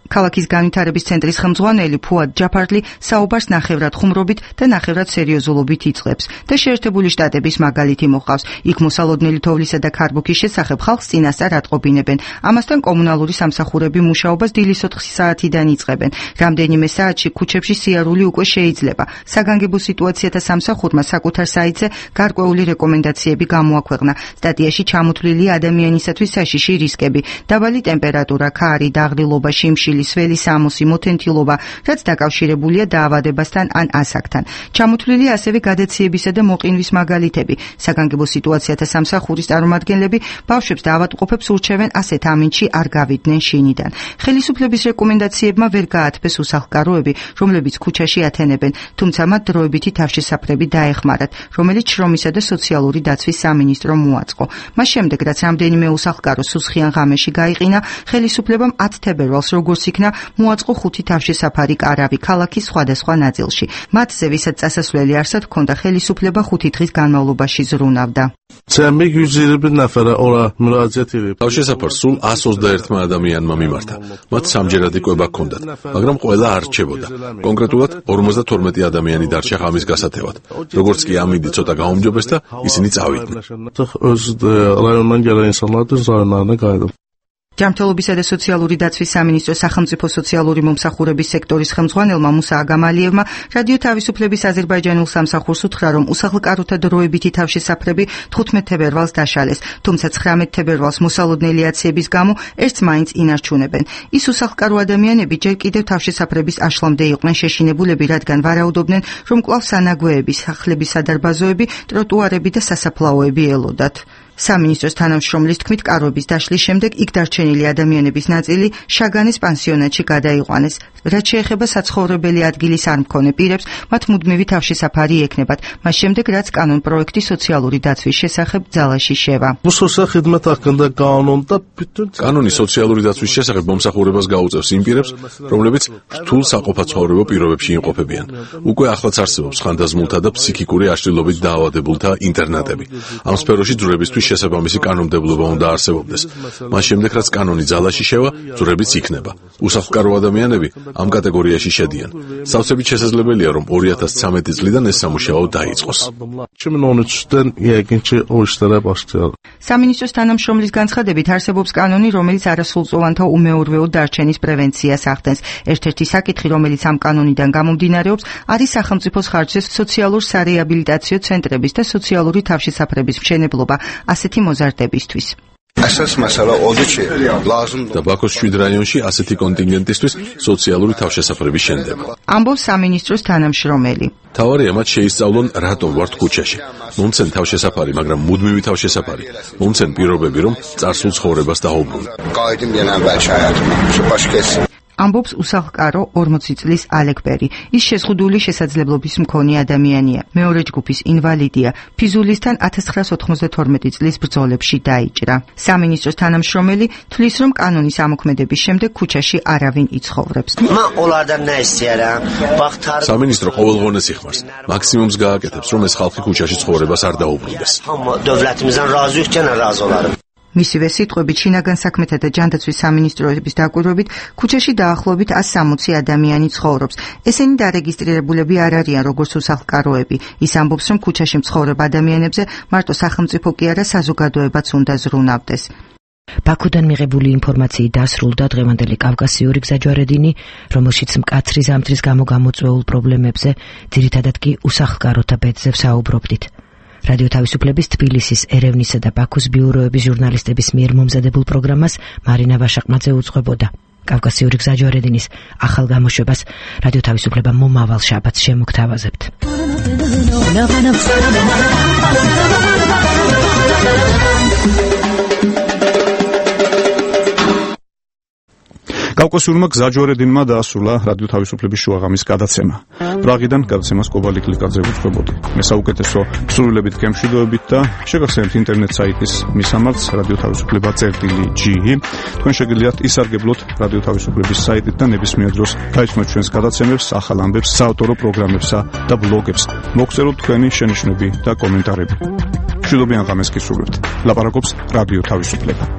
ქალაქის განვითარების ცენტრის ხელმძღვანელი ფუად ჯაფარლი საუბარს ნახევრად ხუმრობით და ნახევრად სერიოზულობით იწყებს და შეერთებული შტატების მაგალითი მოყავს. იქ მოსალოდნელი თოვლისა და ქარბუქის შესახებ ხალხს წინასწარ ატყობინებენ. ამასთან კომუნალური სამსახურები მუშაობას დილის ოთხი საათიდან იწყებენ. რამდენიმე საათში ქუჩებში სიარული უკვე შეიძლება. საგანგებო სიტუაციათა სამსახურმა საკუთარ საიტზე გარკვეული რეკომენდაციები გამოაქვეყნა. სტატიაში ჩამოთვლილია ადამიანისათვის საშიში რისკები: დაბალი ტემპერატურა, ქარი, დაღლილობა, შიმშილი, სველი სამოსი, მოთენთილობა, რაც დაკავშირებულია დაავადებასთან ან ასაკთან. ჩამოთვლილია ასევე გადაციებისა და მოყინვის მაგალითები. საგანგებო სიტუაციათა სამსახურის წარმომადგენლები ბავშვებს დაავადმყოფებს ურჩევენ ასეთ ამინდში არ გავიდნენ შინიდან. ხელისუფლების რეკომენდაციებმა ვერ გაათბეს უსახლკაროები, რომლებიც ქუჩაში ათენებენ, თუმცა მათ დროებითი თავშესაფრები დაეხმარათ, რომელიც შრომისა და სოციალური დაცვის სამინისტრომ მოაწყო. მას შემდეგ, რაც რამდენიმე უსახლკარო სუსხიან ღამეში გაიყინა, ხელისუფლებამ ათ თებერვალს როგორც იქნა მოაწყო ხუთი თავშესაფარი კარავი ქალაქის სხვადასხვა ნაწილში. მათზე, ვისაც წასასვლელი არსად ჰქონდა, ხელისუფლება ხუთი დღის განმავლობაში ზრუნავდა. თავშესაფარს სულ ას ოცდაერთმა ადამიანმა მიმართა. მათ სამჯერად იკვება ჰქონდათ, მაგრამ ყველა არ რჩებოდა. კონკრეტულად ორმოცდათორმეტი ადამიანი დარჩა ღამის გასათევად. როგორც კი ამინდი ცოტა გაუმჯობეს და ისინი წავიდნენ. ჯანმრთელობისა და სოციალური დაცვის სამინისტროს სახელმწიფო სოციალური მომსახურების სექტორის ხელმძღვანელმა მუსა აგამალიევმა რადიო თავისუფლების აზერბაიჯანულ სამსახურს უთხრა, რომ უსახლკაროთა დროებითი თავშესაფრები თხუთმეტ თებერვალს დაშალეს, თუმცა ცხრამეტ თებერვალს მოსალოდნელი აციების გამო ერთს მაინც ინარჩუნებენ. ის უსახლკარო ადამიანები ჯერ კიდევ თავშესაფრების აშლამდე იყვნენ შეშინებულები, რადგან ვარაუდობდნენ, რომ კვლავ სანაგვეები, სახლების სადარბაზოები, ტროტუარები და სასაფლაოები ელოდათ. სამინისტროს თანამშრომლის თქმით, კარვების დაშლის შემდეგ იქ დარჩენილი ადამიანების ნაწილი შაგანის პანსიონატში გადაიყვანეს. რაც შეეხება საცხოვრებელი ადგილის არ მქონე პირებს, მათ მუდმივი თავშესაფარი ექნებათ, მას შემდეგ რაც კანონ პროექტი სოციალური დაცვის შესახებ ძალაში შევა. კანონი სოციალური დაცვის შესახებ მომსახურებას გაუწევს იმ პირებს, რომლებიც რთულ საყოფაცხოვრებო პირობებში იმყოფებიან. უკვე ახლაც არსებობს ხანდაზმულთა და ფსიქიკური აშლილობით დაავადებულთა ინტერნატები. ამ სფეროში ძვრებისთვის შესაბამისი კანონმდებლობა უნდა არსებობდეს. მას შემდეგ, რაც კანონი ძალაში შევა, ძვრებიც იქნება. უსახლკარო ადამიანები ამ კატეგორიაში შედიან. სავსებით შესაძლებელია, რომ ორი ათას ცხრამეტი წლიდან ეს სამუშაო დაიწყოს. სამინისტროს თანამშრომლის განცხადებით არსებობს კანონი, რომელიც არასრულწლოვანთა უმეურვეო დარჩენის პრევენციას ახდენს. ერთ-ერთი საკითხი, რომელიც ამ კანონიდან გამომდინარეობს, არის სახელმწიფოს ხარჯზე სოციალურ სარეაბილიტაციო ცენტრების და სოციალური თავშესაფრების მშენებლობა ასეთი მოზარდებისთვის. და ბაქოს შვიდ რაიონში ასეთი კონტინგენტისთვის სოციალური თავშესაფრების შენდება. ამბობს სამინისტროს თანამშრომელი. თავარია მათ შეისწავლონ, რატომ ვართ ქუჩაში. მომცენ თავშესაფარი, მაგრამ მუდმივი თავშესაფარი. მომცენ პირობები, რომ წარსულ ცხოვრებას დაუბრუნდეთ. ამბობს უსახლკარო ორმოცი წლის ალეკბერი. ის შეზღუდული შესაძლებლობის მქონე ადამიანია. მეორე ჯგუფის ინვალიდია. ფიზულისთან ათას ცხრაას ოთხმოცდათორმეტი წლის ბრძოლებში დაიჭრა. სამინისტროს თანამშრომელი თვლის, რომ კანონის ამოქმედების შემდეგ ქუჩაში არავინ იცხოვრებს. სამინისტრო ყოველღონეს იხმარს. მაქსიმუმს გააკეთებს, რომ ეს ხალხი ქუჩაში ცხოვრებას არ დაუბრუნდეს. მისივე სიტყვებით, შინაგან საქმეთა და ჯანდაცვის სამინისტროების დაკვირვებით, ქუჩაში დაახლოებით one sixty ადამიანი ცხოვრობს. ესენი დარეგისტრირებულები არ არიან როგორც უსახლკაროები. ის ამბობს, რომ ქუჩაში მცხოვრებ ადამიანებზე მარტო სახელმწიფო კი არა, საზოგადოებაც უნდა ზრუნავდეს. ბაქოდან მიღებული ინფორმაციით დასრულდა დღევანდელი კავკასიური გზაჯვარედინი, რომელშიც მკაცრი ზამთრის გამო გამოწვეულ პრობლემებზე, ძირითადად კი უსახლკაროთა ბედზე ვსაუბრობდით. რადიო თავისუფლების თბილისის, ერევნისა და ბაქოს ბიუროების ჟურნალისტების მიერ მომზადებულ პროგრამას მარინა ვაშაყმაძე უძღვებოდა. კავკასიური გზაჯვარედინის ახალ გამოშვებას რადიო თავისუფლება მომავალ შაბათს შემოგთავაზებთ. კავკასიურმა გზაჯვარედინმა დაასრულა რადიო თავისუფლების შუაღამის გადაცემა. პრაღიდან გადაცემას კობალი კლიკაძე უძღვებოდი. მე საუკეთესო ქსოვილებით გემშვიდობებით და შეგახსენებთ ინტერნეტ საიტის მისამართს რადიო თავისუფლება წერტილი ჯი. თქვენ შეგიძლიათ ისარგებლოთ რადიო თავისუფლების საიტით და ნებისმიერ დროს გაიცნოთ ჩვენს გადაცემებს, ახალ ამბებს, საავტორო პროგრამებსა და ბლოგებს. მოგწეროთ თქვენი შენიშვნები და კომენტარები. მშვიდობიან ღამეს გისურვებთ. ლაპარაკობს რადიო თავისუფლება.